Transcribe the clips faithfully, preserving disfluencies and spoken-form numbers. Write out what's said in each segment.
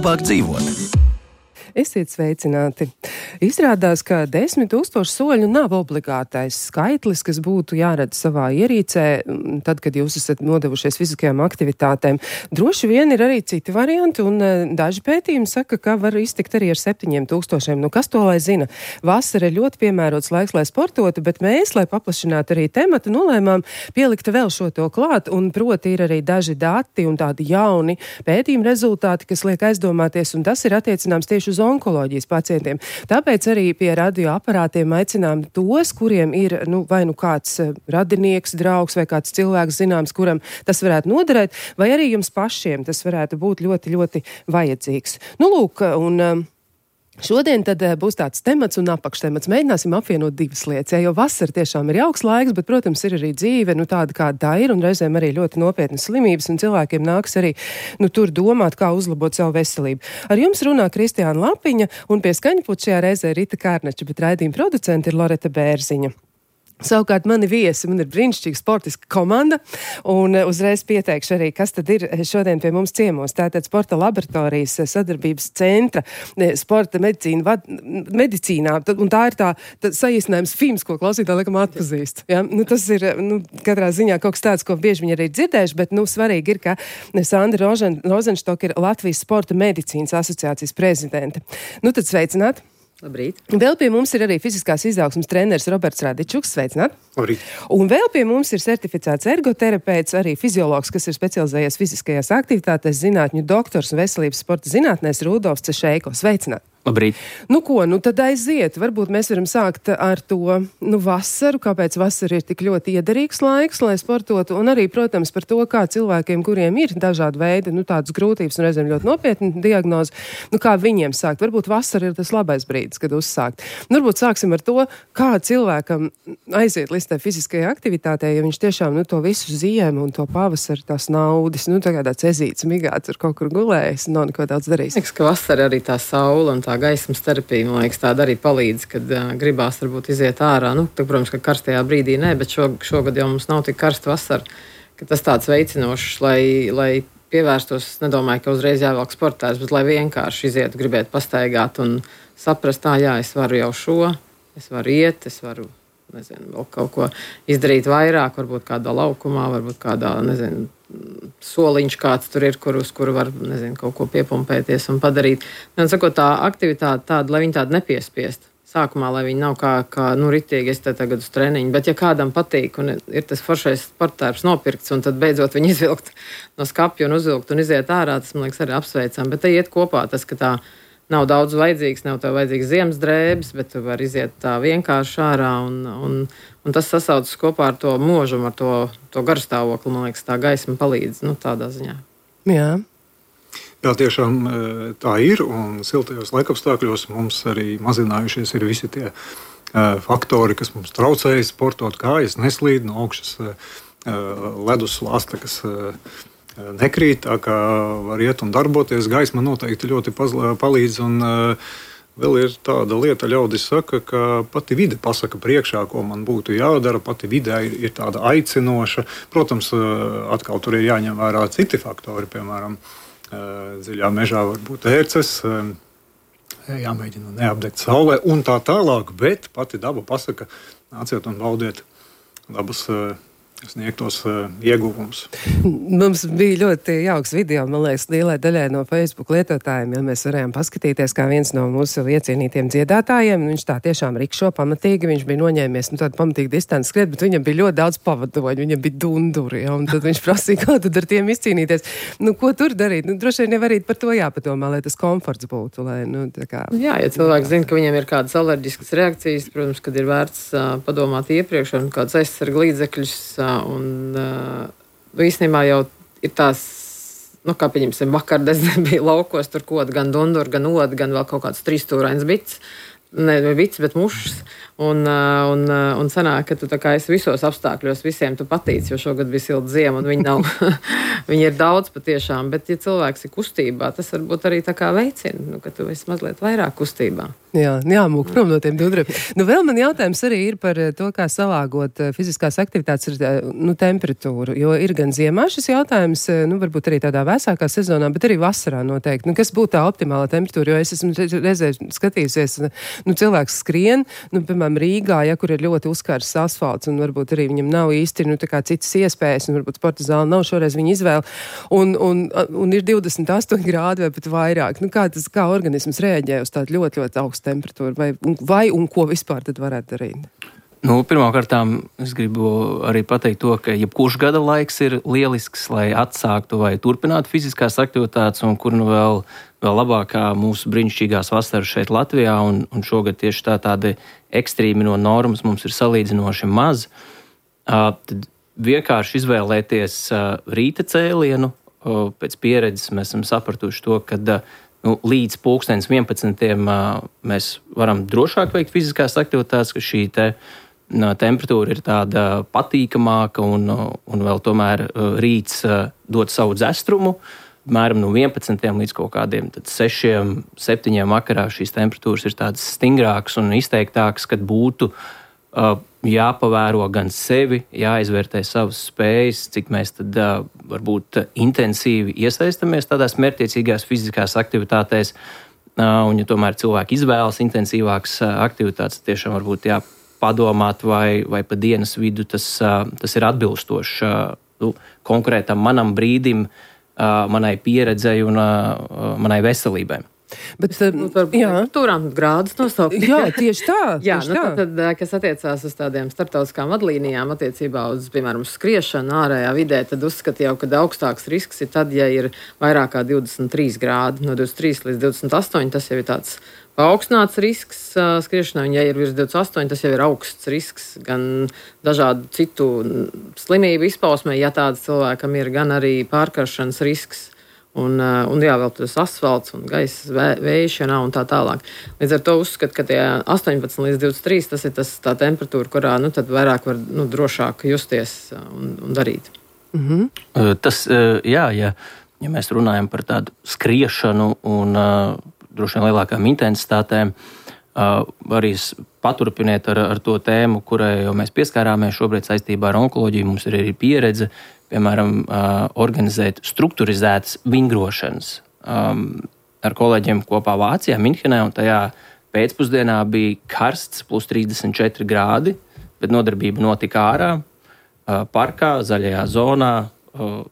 labāk dzīvot. Esiet sveicināti. Izrādās, ka desmit tūkstoši soļu nav obligātais skaitlis, kas būtu jāredz savā ierīcē, tad, kad jūs esat nodevušies fiziskajām aktivitātēm. Droši vien ir arī citi varianti, un daži pētījumi saka, ka var iztikt arī ar septiņiem tūkstošiem. Nu, kas to lai zina? Vasara ir ļoti piemērots laiks, lai sportotu, bet mēs, lai paplašinātu arī tematu, nolēmām pielikt vēl šo to klāt, un proti ir arī daži dati un tādi jauni pētījumi rezultāti, kas liek aizdomāties, un tas ir attiecināms tieši uz onkoloģijas pacientiem. Tāpēc arī pie radioaparātiem aicinām tos, kuriem ir nu, vai nu kāds radinieks, draugs vai kāds cilvēks zināms, kuram tas varētu noderēt, vai arī jums pašiem tas varētu būt ļoti, ļoti vajadzīgs. Nu, lūk, un šodien tad būs tāds temats un apakštemats. Mēģināsim apvienot divas lietas, ja, jo vasara tiešām ir jauks laiks, bet, protams, ir arī dzīve, nu tāda kāda tā ir, un reizēm arī ļoti nopietnas slimības, un cilvēkiem nāks arī, nu, tur domāt, kā uzlabot savu veselību. Ar jums runā Kristiāna Lapiņa, un pie skaņputa šajā reizē Rita Kārnača, bet raidījuma producente ir Loreta Bērziņa. Savukārt mani viesi, man ir brīnišķīga sportiska komanda, un uzreiz pieteikšu arī, kas tad ir šodien pie mums ciemos. Tātad Sporta laboratorijas sadarbības centra, sporta medicīna, vad, medicīnā, un tā ir tā, tā saīsinājums F I M S, ko klausītāji laikam atpazīst. Ja? Nu, tas ir, nu, katrā ziņā kaut kas tāds, ko bieži viņi arī dzirdējuši, bet, nu, svarīgi ir, ka Sandra Rožen, Rozenštok ir Latvijas Sporta medicīnas asociācijas prezidente. Nu, tad sveicināt! Labrīt. Vēl pie mums ir arī fiziskās izaugsmes treneris Roberts Radičuks. Sveicināt! Labrīt. Un vēl pie mums ir certificēts ergoterapeits, arī fiziologs, kas ir specializējies fiziskajās aktivitātēs, zinātņu doktors un veselības sporta zinātnēs Rudolfs Cešeiko. Sveicināt! Labrīt. Nu ko, nu tad aiziet. Varbūt mēs varam sākt ar to, nu, vasaru, kāpēc vasara ir tik ļoti iederīgs laiks, lai sportotu, un arī, protams, par to, kā cilvēkiem, kuriem ir dažādi veidi, nu, tādas grūtības un reizēm ļoti nopietni diagnozi, nu, kā viņiem sākt. Varbūt vasara ir tas labais brīdis, kad uzsākt. Nu, varbūt sāksim ar to, kā cilvēkam aiziet līdz tai fiziskajai aktivitātei, ja viņš tiešām, nu, to visu ziemu un to pavasaru tās naudas, nu, tagad tāds ezīts, migāts ar kaut kur gulējis, nav neko daudz darījis. Liekas, ka vasara arī tā saula un tā gaismas terapija, man liekas, tāda arī palīdz, kad uh, gribās varbūt iziet ārā. Nu, tā, protams, ka karstajā brīdī nē, bet šo, šogad jau mums nav tik karsta vasara, ka tas tāds veicinošs, lai, lai pievērstos, es nedomāju, ka uzreiz jāvelk sportēs, bet lai vienkārši izietu, gribētu pastaigāt un saprast, tā, jā, es varu jau šo, es varu iet, es varu, nezinu, vēl kaut ko izdarīt vairāk, varbūt kādā laukumā, varbūt kādā, nezinu, soliņš kāds tur ir, kur uz kuru var, nezinu, kaut ko piepumpēties un padarīt. Man sakot, tā aktivitāte tāda, lai viņi tādu nepiespiest. Sākumā, lai viņi nav kā, kā nu, ritīgi, es te tagad uz treniņu, bet ja kādam patīk un ir tas foršais sporttērps nopirkts un tad beidzot viņi izvilkt no skapja un uzvilkt un iziet ārā, tas, man liekas, arī apsveicam. Bet te iet kopā tas, ka tā nav daudz vajadzīgs, nav tev vajadzīgs ziemas drēbes, bet tu vari iziet tā vienkārši ārā, un, un, un tas sasaucas kopā ar to mūžumu, ar to, to garstāvokli, man liekas, tā gaisma palīdz, nu, tādā ziņā. Jā. Jā, tiešām tā ir, un siltajos laikapstākļos mums arī mazinājušies ir visi tie uh, faktori, kas mums traucēja sportot, kājas neslīd no augšas uh, ledus slāsta, kas uh, nekrīt, tā kā var iet un darboties. Gaisma noteikti ļoti pazla, palīdz, un uh, vēl ir tāda lieta, ļaudis saka, ka pati vide pasaka priekšā, ko man būtu jādara, pati vidē ir, ir tāda aicinoša. Protams, uh, atkal tur ir jāņem vērā citi faktori, piemēram, uh, dziļā mežā var būt ērces, uh, jāmēģina neapdegt saulē un tā tālāk, bet pati daba pasaka, nāciet un baudiet dabas uh, sniegtos uh, ieguvumus. Mums bija ļoti jauks video, man liekas, lielai daļai no Facebook lietotājiem, ja mēs varējām paskatīties, kā viens no mūsu iecienītiem dziedātājiem, viņš tā tiešām rikšo pamatīgi, viņš bija noņēmies, nu tādu pamatīgi distanci skriet, bet viņam bija ļoti daudz pavadoņu, viņam bija dunduri, ja, un tad viņš prasīja, kā tad ar tiem izcīnīties. Nu, ko tur darīt? Nu, droši vien jau arī par to jāpadomā, lai tas komforts būtu, lai, nu, tā kā... Jā, ja cilvēki zina, ka viņiem ir kādas alerģiskas reakcijas, protams, kad ir vērts uh, padomāt iepriekš un kāds aizsarga līdzekļus. Un uh, īstenībā jau ir tās, nu, kā pieņemsim, vakardien bija laukos, tur kaut gan dundur, gan od, gan vēl kaut kāds trīsstūrains bits. ne vics, bet mušas. Un, un, un sanāk, ka tu tā kā esi visos apstākļos, visiem tu patīc, jo šogad bija silta ziema, un viņi nav, viņi ir daudz patiešām, bet ja cilvēks ir kustībā, tas varbūt arī tā kā veicina, nu, ka tu esi mazliet vairāk kustībā. Jā, jāmūk prom no tiem dudriem. Nu, vēl man jautājums arī ir par to, kā salāgot fiziskās aktivitātes ar nu, temperatūru, jo ir gan ziemā šis jautājums, nu, varbūt arī tādā vēsākā sezonā, bet arī vasarā noteikti. Nu, kas būtu tā optimāla temperatūra, jo es esmu reizē skatījusies, nu, cilvēks skrien, nu, piemēram, Rīgā, ja, kur ir ļoti uzkārs asfalts, un varbūt arī viņam nav īsti, nu, tā kā citas iespējas, un varbūt sporta zāle nav šoreiz viņa izvēle, un, un, un ir divdesmit astoņi grādi vai pat vairāk. Nu, kā tas, kā organisms reaģē uz tādu ļoti, ļoti augstu temperatūru, vai, vai un ko vispār tad varētu darīt? Nu, pirmkārtām es gribu arī pateikt to, ka jebkurš gada laiks ir lielisks, lai atsāktu vai turpinātu fiziskās aktivitātes, un kur nu vēl, vēl labākā mūsu brīnišķīgās vasaras šeit Latvijā, un, un šogad tieši tā tādi ekstrīmi no normas mums ir salīdzinoši maz. Uh, tad vienkārši izvēlēties uh, rīta cēlienu. Uh, pēc pieredzes mēs esam sapratuši to, ka uh, nu, līdz pulkstenis vienpadsmitiem uh, mēs varam drošāk veikt fiziskās aktivitātes, ka šī te temperatūra ir tāda patīkamāka, un, un vēl tomēr rīts dod savu dzestrumu. Mēram no vienpadsmitiem līdz kaut kādiem sešiem, septiņiem vakarā šīs temperatūras ir tādas stingrākas un izteiktākas, kad būtu uh, jāpavēro gan sevi, jāizvērtē savas spējas, cik mēs tad uh, varbūt intensīvi iesaistamies tādās mērķtiecīgās fiziskās aktivitātēs, uh, un ja tomēr cilvēki izvēlas intensīvākas uh, aktivitātes, tiešām varbūt jā, padomāt, vai, vai pa dienas vidu tas, tas ir atbilstoši nu, konkrētam manam brīdim, manai pieredzei un manai veselībai. Bet, nu, jā, turām grādus nosaukt. Jā, tieši tā. jā, tieši nu, tā. Tad, kas attiecās uz tādiem starptautiskām vadlīnijām attiecībā uz, piemēram, uz skriešanu ārējā vidē, tad uzskata jau, ka augstāks risks ir tad, ja ir vairāk kā divdesmit trīs grādi, no divdesmit trīs līdz divdesmit astoņi, tas jau ir tāds paaugstināts risks uh, skriešanai, un ja ir virs divdesmit astoņi, tas jau ir augsts risks gan dažādu citu slimību izpausmē, ja tāds cilvēkam ir, gan arī pārkaršanas risks. Un, un jā, vēl tas asfalts un gaisa vē, vēšanā un tā tālāk. Līdz ar to uzskatu, ka tie astoņpadsmit līdz divdesmit trīs tas ir tas, tā temperatūra, kurā nu, tad vairāk var nu, drošāk justies un, un darīt. Mm-hmm. Tas, jā, ja, ja mēs runājam par tādu skriešanu un droši vien lielākām intensitātēm, arī paturpiniet ar, ar to tēmu, kurai jau mēs pieskārāmies šobrīd saistībā ar onkoloģiju. Mums ir arī pieredze, piemēram, organizēt strukturizētas vingrošanas ar kolēģiem kopā Vācijā, Minhenē, un tajā pēcpusdienā bija karsts, plus trīsdesmit četri grādi, bet nodarbība notika ārā, parkā, zaļajā zonā,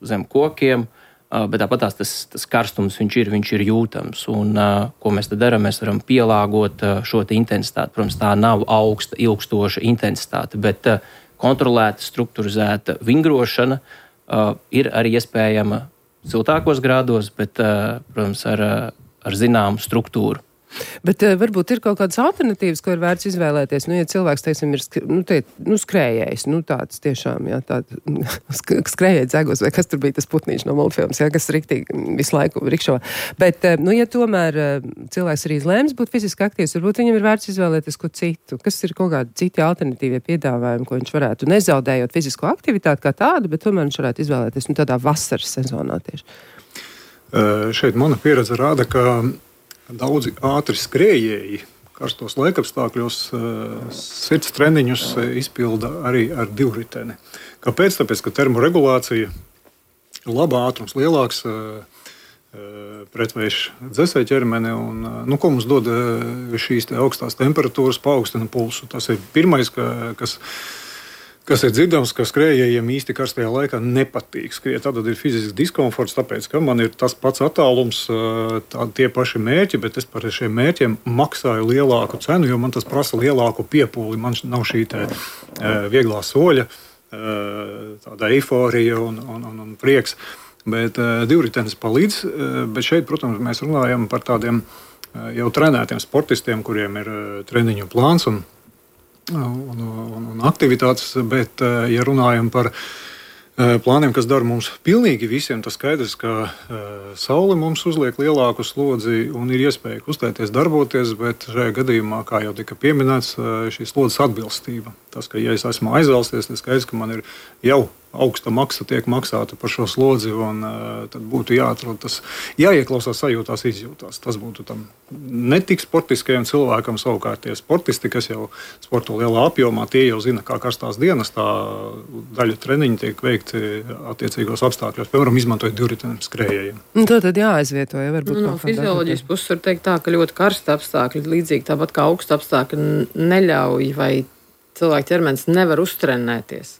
zem kokiem, bet tāpat tas, tas karstums viņš ir, viņš ir jūtams. Un, ko mēs tad darām? Mēs varam pielāgot šo intensitāti. Protams, tā nav augsta, ilgstoša intensitāte, bet kontrolēta, strukturizēta vingrošana uh, ir arī iespējama siltākos grādos, bet, uh, protams, ar, ar zināmu struktūru. Bet uh, varbūt ir kaut kādas alternatīvas, ko ir vērts izvēlēties. Nu, ja cilvēks, teiksim, ir nu, te, nu, skrējējs, nu tāds tiešām, jā, tād, skrējēja dzegos, vai kas tur bija tas putnīši no multfilmas, jā, kas riktīgi visu laiku rikšo. Bet, uh, nu, ja tomēr uh, cilvēks arī izlēms būt fiziski aktīvs, varbūt viņam ir vērts izvēlēties ko citu. Kas ir kaut kādi citi alternatīvie piedāvājumi, ko viņš varētu, nezaudējot fizisko aktivitāti kā tādu, bet tomēr viņš varētu izvēlēties nu, tādā vasaras sezonā tieši. Uh, šeit mana pieredze rāda, ka daudzi ātri skrējēji karstos laikapstākļos sirds treniņus izpilda arī ar divriteni. Kāpēc? Tāpēc, ka termoregulācija ir laba, ātrums lielāks, pretvējš dzesē ķermeni, un nu, ko mums dod šīs te augstās temperatūras, paaugstina pulsu. Tas ir pirmais, ka, kas Kas ir dzirdams, ka skrējējiem īsti karstajā laikā nepatīk skriet. Tad ir fizisks diskomforts, tāpēc, ka man ir tas pats attālums, tā, tie paši mērķi, bet es par šiem mērķiem maksāju lielāku cenu, jo man tas prasa lielāku piepūli. Man nav šī te, vieglā soļa, tāda eiforija un, un, un, un prieks. Bet divritenis palīdz, bet šeit, protams, mēs runājam par tādiem jau trenētiem sportistiem, kuriem ir treniņu plāns un Un, un, un aktivitātes, bet, ja runājam par plāniem, kas dara mums pilnīgi visiem. Tas skaidrs, ka saule mums uzliek lielāku slodzi un ir iespēja kustēties, darboties, bet šajā gadījumā, kā jau tika pieminēts, šī slodzes atbilstība. Tas, ka ja es esmu aizvalsties, tas skaidrs, ka man ir jau augsta maksa tiek maksāta par šo slodzi, un uh, tad būtu jāatrod tas, jāieklausās sajūtās, izjūtās. Tas būtu tam ne tik sportiskajam cilvēkam, savukārt tie sportisti, kas jau sporto lielā apjomā, tie jau zina, kā karstās dienas, tā daļa treniņi tiek veikti attiecīgos apstākļos, piemēram, izmantojot divriteniem skrējējiem. Un to tad jāaizvieto, ja varbūt. No fizioloģijas puses var teikt tā, ka ļoti karsta apstākļi, līdzīgi tāpat kā augsta apstākļi, neļauj vai cilvēka ķermenis nevar uztrenēties.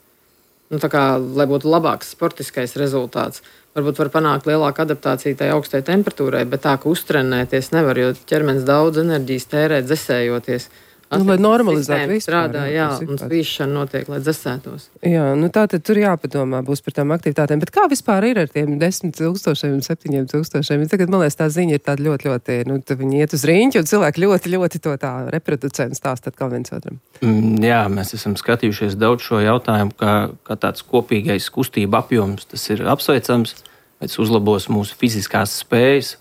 Nu, tā kā, lai būtu labāks sportiskais rezultāts, varbūt var panākt lielāku adaptāciju tai augstai temperatūrai, bet tā, ka uztrenēties nevar, jo ķermenis daudz enerģijas tērē dzesējoties. Nu, lai normalizētu vispār. Strādā, jā, un spīšana notiek, lai dzesētos. Jā, nu tā tad tur jāpadomā būs par tām aktivitātēm. Bet kā vispār ir ar tiem desmit tūkstošiem un septiņiem tūkstošiem? Tagad, man liekas, tā ziņa ir tāda ļoti, ļoti, nu, viņi iet uz riņķi un cilvēki ļoti, ļoti to tā reproducenti stāst atkal viens otram. Mm, jā, mēs esam skatījušies daudz šo jautājumu, kā, kā tāds kopīgais kustība apjoms. Tas ir apsveicams, tas uzlabos mūsu fiziskās spējas.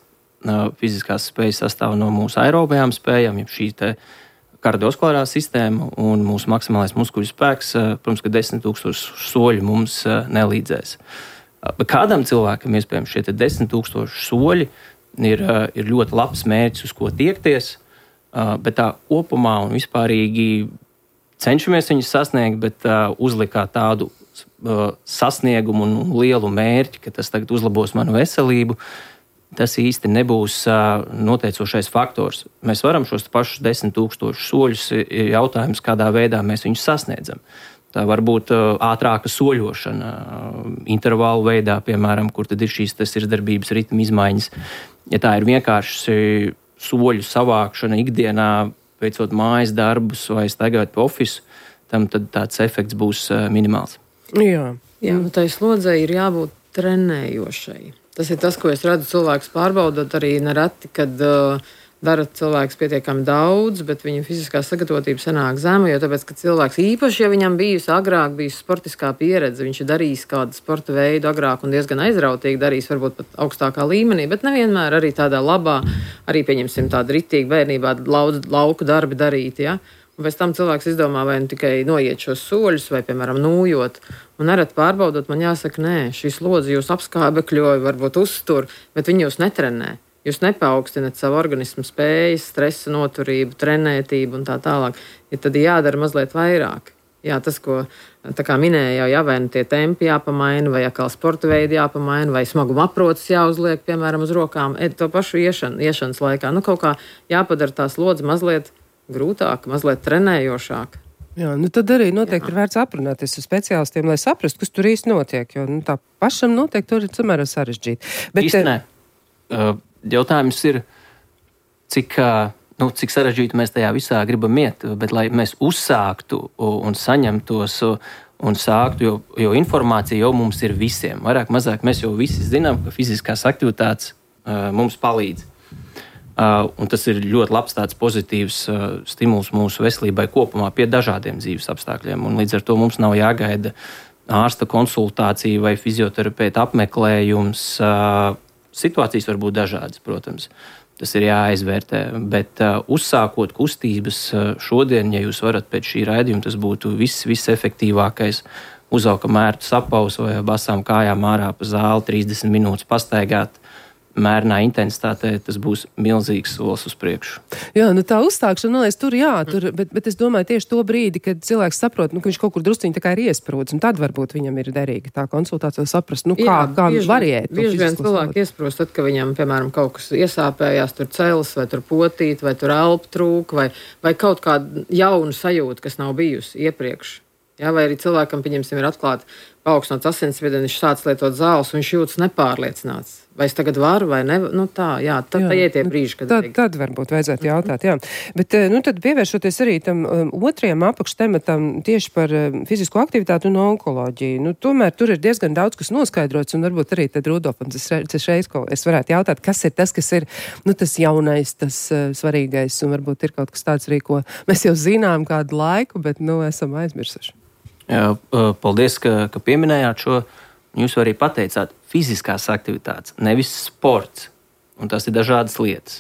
Fiziskās spējas sastāv no mūsu aerobajām spējām, ja šī te kardiovaskulārā sistēma un mūsu maksimālais muskuļu spēks, protams, ka desmit tūkstoši soļi mums nelīdzēs. Bet kādam cilvēkam, iespējams, šie desmit tūkstoši soļi ir, ir ļoti labs mērķis, uz ko tiekties, bet tā kopumā un vispārīgi cenšamies viņus sasniegt, bet uzlikāt tādu sasniegumu un lielu mērķi, ka tas tagad uzlabos manu veselību. Tas īsti nebūs uh, noteicošais faktors. Mēs varam šos pašus desmit tūkstošus soļus, ir jautājums, kādā veidā mēs viņus sasniedzam. Tā var būt uh, ātrāka soļošana, uh, intervālu veidā, piemēram, kur tad ir šīs sirdsdarbības ritma izmaiņas. Ja tā ir vienkārši soļu savākšana ikdienā, veicot mājas darbus vai staigājot pa ofisu, tam tad tāds efekts būs uh, minimāls. Jā, Jā, nu tai slodzei ir jābūt trenējošai. Tas ir tas, ko es redzu cilvēks pārbaudot arī nereti, kad uh, dara cilvēks pietiekami daudz, bet viņa fiziskā sagatavotība sanāk zema, jo tāpēc, ka cilvēks īpaši, ja viņam bijusi agrāk bijusi sportiskā pieredze, viņš ir darījis kādu sporta veidu agrāk un diezgan aizrautīgi darījis, varbūt pat augstākā līmenī, bet nevienmēr arī tādā labā, arī pieņemsim tādu ritīgi bērnībā laud, lauku darbi darīt, ja? Un pēc tam cilvēks izdomā, vai nu tikai noiet šos soļus, vai, piemēram, nūjot. Un nereti pārbaudot, man jāsaka, nē, šī slodze jūs apskābekļoja, varbūt uztur, bet viņi jūs netrenē. Jūs nepaukstinat savu organismu spējas, stresa noturību, trenētību un tā tālāk. Ja tad jādara mazliet vairāk. Jā, tas, ko tā kā minēja, jau jā, vai nu tie tempi jāpamaina, vai atkal sporta veidi jāpamaina, vai smaguma aproces jāuzliek, piemēram, uz rokām, to pašu iešanu, iešanas laikā. Nu, kaut kā jāpadara tā slodze mazliet grūtāk, mazliet trenējošāk. Jā, nu tad arī noteikti Jā. ir vērts aprunāties ar speciālistiem, lai saprastu, kas tur īsti notiek, jo nu, tā pašam noteikti tur ir samērā sarežģīti. Bet īsti nē. Uh, jautājums ir, cik, nu, cik sarežģīti mēs tajā visā gribam iet, bet lai mēs uzsāktu un saņemtos un sāktu, jo, jo informācija jau mums ir visiem. Vairāk, mazāk mēs jau visi zinām, ka fiziskās aktivitātes uh, mums palīdz. Uh, un tas ir ļoti labs tāds pozitīvs uh, stimuls mūsu veselībai kopumā pie dažādiem dzīves apstākļiem. Un līdz ar to mums nav jāgaida ārsta konsultācija vai fizioterapeita apmeklējums. Uh, situācijas var būt dažādas, protams. Tas ir jāizvērtē. Bet uh, uzsākot kustības uh, šodien, ja jūs varat pēc šī raidījuma, tas būtu viss, viss efektīvākais. Uzvelkam ērtu sapausu vai basām kājām ārā pa zāli, trīsdesmit minūtes pastaigāt. Mērnā intensitātē tas būs milzīgs solis uz priekšu. Jā, nu tā uzstākšana, man liekas, tur jā, tur, bet, bet es domāju tieši to brīdi, kad cilvēks saprot, nu, ka viņš kaut kur drusciņi tā kā ir iesprūdis, un tad varbūt viņam ir derīga tā konsultācija saprast, nu kā, jā, kā viņš var iet. Bieži vien cilvēki iesprūst, tad, ka viņam, piemēram, kaut kas iesāpējās, tur cēlis, vai tur potīt, vai tur elpu trūk, vai, vai kaut kāda jauna sajūta, kas nav bijusi iepriekš. Jā, vai arī cilvēkam, pieņemsim, ir atklāta paaugstināts asinsspiediens, viņš sāc lietot zāles, un viņš jūtas nepārliecināts. Vai es tagad varu, vai ne? Nu tā, jā, tad tā iet tie brīži, kad... Tad, tad varbūt vajadzētu jautāt, jā. Bet, nu tad pievēršoties arī tam um, otrajam apakštematam tieši par um, fizisko aktivitāti un onkoloģiju. Nu, tomēr tur ir diezgan daudz, kas noskaidrots, un varbūt arī tad Rudolfam tas reiz, ko es varētu jautāt, kas ir tas, kas ir, nu, tas jaunais, tas uh, svarīgais, un varbūt ir kaut kas tāds arī, ko mēs jau zinām kādu laiku, bet, nu, esam aizmirsuši. Jā, paldies, ka, ka pieminējāt šo. Jūs arī pateicāt, fiziskās aktivitātes, nevis sports. Un tas ir dažādas lietas.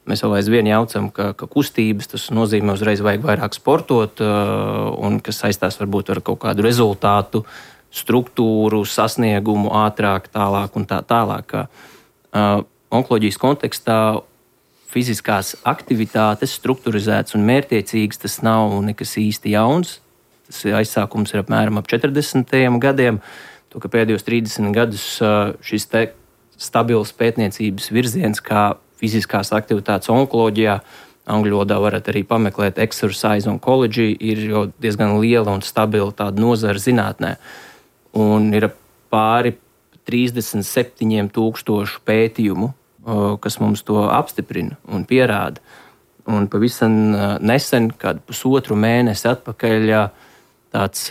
Mēs vēl aizvien jaucam, ka, ka kustības tas nozīmē uzreiz vajag vairāk sportot, un kas saistās varbūt ar kaut kādu rezultātu, struktūru, sasniegumu, ātrāk, tālāk un tā tālāk. Onkoloģijas kontekstā fiziskās aktivitātes strukturizētas un mērķtiecīgas, tas nav nekas īsti jauns. Tas aizsākums ir apmēram ap četrdesmitajiem gadiem. To, ka pēdējos trīsdesmit gadus šis te stabils pētniecības virziens, kā fiziskās aktivitātes onkoloģijā, angļu valodā varat arī pameklēt exercise oncology, ir jau diezgan liela un stabila tāda nozara zinātnē. Un ir pāri trīsdesmit septiņiem tūkstošu pētījumu, kas mums to apstiprina un pierāda. Un pavisam nesen, kādu pusotru mēnesi atpakaļ, tāds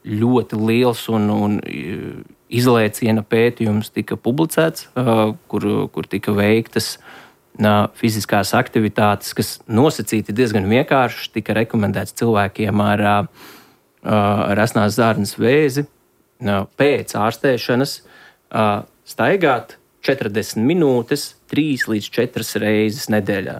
ļoti liels un, un izlēciena pētījums tika publicēts, kur, kur tika veiktas fiziskās aktivitātes, kas nosacīti diezgan vienkārši, tika rekomendēts cilvēkiem ar, ar asnās zārnas vēzi pēc ārstēšanas staigāt četrdesmit minūtes, trīs līdz četras reizes nedēļā,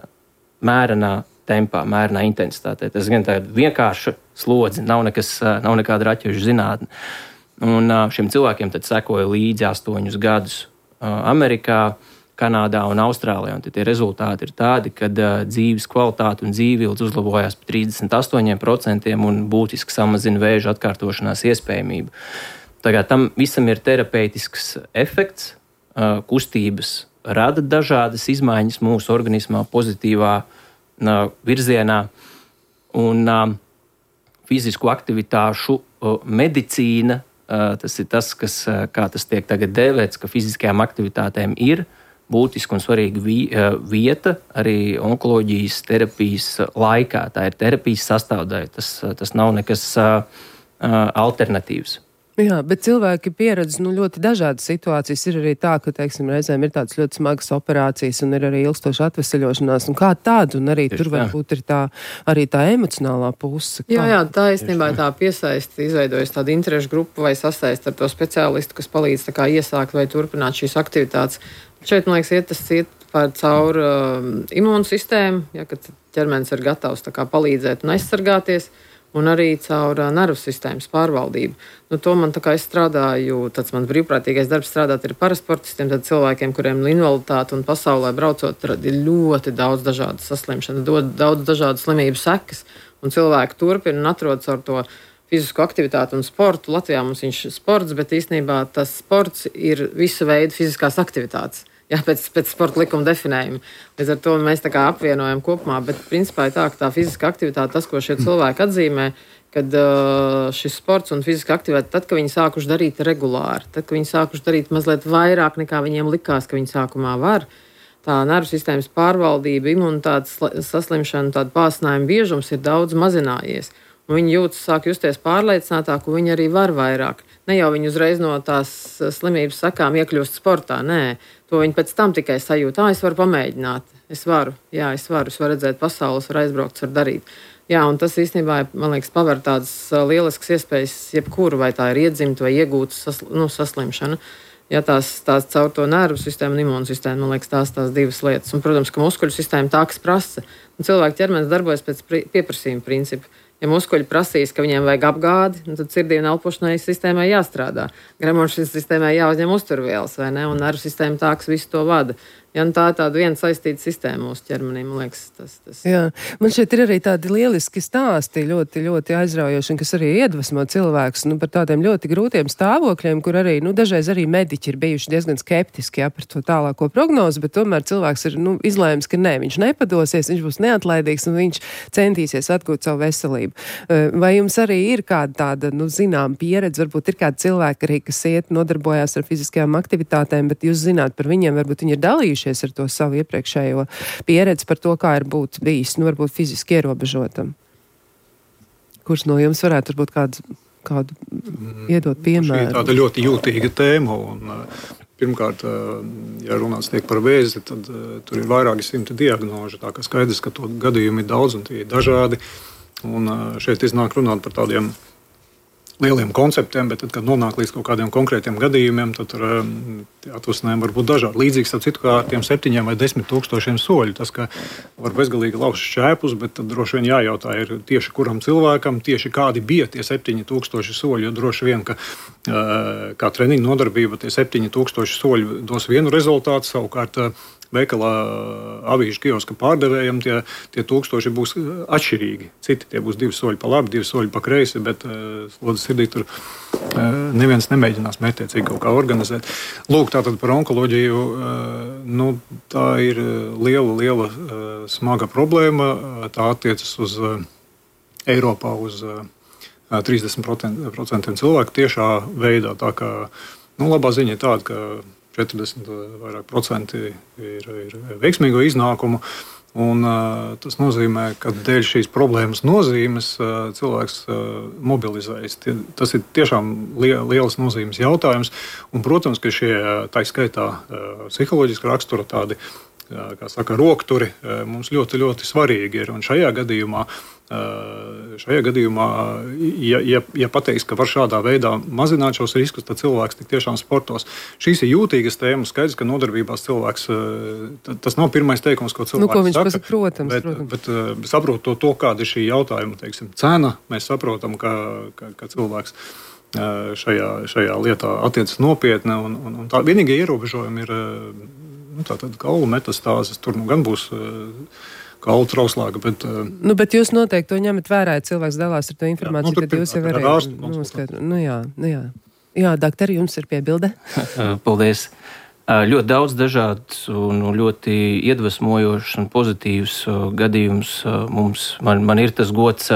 mērenā tempā, mērenā intensitātē. Tas gan tāda vienkārša slodze, nav, nekas, nav nekāda raķešu zinātne. Un šiem cilvēkiem tad sekoja līdzi astoņus gadus Amerikā, Kanādā un Austrālijā. Un tie rezultāti ir tādi, ka dzīves kvalitāte un dzīvība uzlabojās par trīsdesmit astoņiem procentiem un būtiski samazina vēža atkārtošanās iespējamību. Tagad tam visam ir terapeitisks efekts. Kustības rada dažādas izmaiņas mūsu organismā pozitīvā virzienā. Un fizisku aktivitāšu medicīna, tas ir tas, kas, kā tas tiek tagad dēvēts, ka fiziskajām aktivitātēm ir būtiska un svarīga vieta arī onkoloģijas terapijas laikā. Tā ir terapijas sastāvdaļa, tas, tas nav nekas alternatīvs. Jā, bet cilvēki pieredz nu, ļoti dažādas situācijas. Ir arī tā, ka, teiksim, reizēm ir tādas ļoti smagas operācijas un ir arī ilgstoša atveseļošanās. Un kā tāda, un arī Tieši tur varbūt ir tā, arī tā emocionālā puse. Kā? Jā, jā, tā īstenībā tā piesaisti, izveidojas tādu interešu grupu vai sasaist ar to speciālistu, kas palīdz tā kā iesākt vai turpināt šīs aktivitātes. Šeit, man liekas, iet tas iet pār caur uh, imūnsistēmu, ja, kad ķermenis ir gatavs tā kā palīdzēt un aizsargāties. Un arī caur uh, nervu sistēmas pārvaldību. Nu, to man tā kā es strādāju, tāds mans brīvprātīgais darbs strādāt ir parasportistiem, tad cilvēkiem, kuriem ir invaliditāte un pasaulē braucot, tad ir ļoti daudz dažādu saslimšanu, daudz dažādu slimību sekas, un cilvēki turpina un atrodas ar to fizisku aktivitāti un sportu. Latvijā mums viņš ir sports, bet īstenībā tas sports ir visu veidu fiziskās aktivitātes. Jā, pēc, pēc sporta likuma definējuma. Līdz ar to mēs tā kā apvienojam kopumā, bet principā ir tā, ka tā fiziska aktivitāte, tas, ko šie cilvēki atzīmē, kad uh, šis sports un fiziska aktivitāte, tad, kad viņi sākuši darīt regulāri, tad, kad viņi sākuši darīt mazliet vairāk, nekā viņiem likās, ka viņi sākumā var, tā nervu sistēmas pārvaldība, imunitātes saslimšana, tāda pāsinājuma biežums ir daudz mazinājies. Un viņi jūtas, sāk justies pārliecinātāk, un viņi arī var vairāk. Ne jau viņi uzreiz no tās slimības sakām iekļūst sportā, nē. To viņi pēc tam tikai sajūt, ā, es varu pamēģināt, es varu, jā, es varu, es varu redzēt pasaules, varu aizbraukt, varu darīt. Jā, un tas īstenībā, man liekas, paver tādas lieliskas iespējas jebkuru, vai tā ir iedzimta vai iegūta sasl, nu, saslimšana. Ja tās, tās caur to nervu sistēmu un imūnu sistēmu, man liekas, tās tās divas lietas. Un, protams, ka muskuļu sistēma tā, kas prasa. Un cilvēka ķermenis darbojas pēc pieprasījuma principa. Ja muskuļi prasīs, ka viņiem vajag apgādi, tad sirdī un elpošanai sistēmai jāstrādā. Gremošanas sistēmai jāuzņem uzturvielas, vai ne? Un nervu sistēma tā, kas visu to vada. Ja, tā ir tāda viena saistīta sistēma mūsu ķermenī, man liekas, tas, tas. Jā, man šeit ir arī tādi lieliski stāsti, ļoti, ļoti aizraujoši, un kas arī iedvesmo cilvēkus, nu, par tādiem ļoti grūtiem stāvokļiem, kur arī, nu, dažreiz arī mediķi ir bijuši diezgan skeptiski, jā, par to tālāko prognozi, bet tomēr cilvēks ir, nu, izlēmis, ka nē, viņš nepadosies, viņš būs neatlaidīgs un viņš centīsies atgūt savu veselību. Vai jums arī ir kāda tāda, nu, zinām pieredze, varbūt ir kādi cilvēki arī, kas iet, nodarbojās ar fiziskajām aktivitātēm, bet jūs zināt par viņiem, varbūt viņi ir dalījuši ar to savu iepriekšējo pieredzi par to, kā ir būt bijis, nu, varbūt fiziski ierobežotam. Kurš no jums varētu varbūt kādu, kādu iedot piemēru? Šī ir tāda ļoti jūtīga tēma, un pirmkārt, ja runāts tiek par vēzi, tad tur ir vairāki simti diagnožu, tā kā skaidrs, ka to gadījumu ir daudz un tie ir dažādi, un šeit iznāk runāt par tādiem lieliem konceptiem, bet tad, kad nonāk līdz kaut kādiem konkrētiem gadījumiem, tad tur atvasinājumi var būt dažādi. Līdzīgs ar citu kā ar tiem septiņiem vai desmit tūkstošiem soļu. Tas, ka var bezgalīgi lauzt šķēpus, bet tad droši vien jājautā ir tieši kuram cilvēkam, tieši kādi bija tie septiņi tūkstoši soļi, jo droši vien, ka kā treniņu nodarbība tie septiņi tūkstoši soļi dos vienu rezultātu, savukārt veikalā avīžu kioska pārdevējiem tie, tie tūkstoši būs atšķirīgi. Citi tie būs divi soļi pa labi, divi soļi pa kreisi, bet uh, slodzi sirdī tur uh, neviens nemēģinās mērķiecīgi kaut kā organizēt. Lūk, tātad par onkoloģiju, uh, nu, tā ir liela, liela uh, smaga problēma. Tā attiecas uz uh, Eiropā uz uh, trīsdesmit procenti cilvēku tiešā veidā. Tā kā, nu, labā ziņa ir tāda, ka četrdesmit vairāk procenti ir, ir veiksmīgo iznākumu. Un, uh, tas nozīmē, ka dēļ šīs problēmas nozīmes uh, cilvēks uh, mobilizējas. Tie, tas ir tiešām li- liels nozīmes jautājums. Un, protams, ka šie tā skaitā uh, psiholoģiski rakstura tādi, uh, kā saka, rokturi uh, mums ļoti, ļoti svarīgi ir. Un šajā gadījumā Šajā gadījumā, ja, ja, ja pateiks, ka var šādā veidā mazināt šos riskus, tad cilvēks tik tiešām sportos. Šīs ir jūtīgas tēmas, skaidrs, ka nodarbībās cilvēks, tas nav pirmais teikums, ko cilvēks nu, ko viņš saka. Pasaka, protams, bet, protams. bet saprotot to, to, kāda ir šī jautājuma, teiksim, cena, mēs saprotam, ka, ka, ka cilvēks šajā, šajā lietā attiecas nopietni. Un, un, un tā vienīgie ierobežojumi ir nu, tātad kaulu metastāzes, tur nu gan būs kaulu trauslāga, bet... Nu, bet jūs noteikti to ņemat vērā, ja cilvēks dalās ar to informāciju, jā, nu, tad jūs jau varējāt noskaidrot. Nu jā, nu jā. Jā, daktari, jums ir piebilde? Paldies. Ļoti daudz dažāds un ļoti iedvesmojošs un pozitīvs gadījums mums. Man, man ir tas gods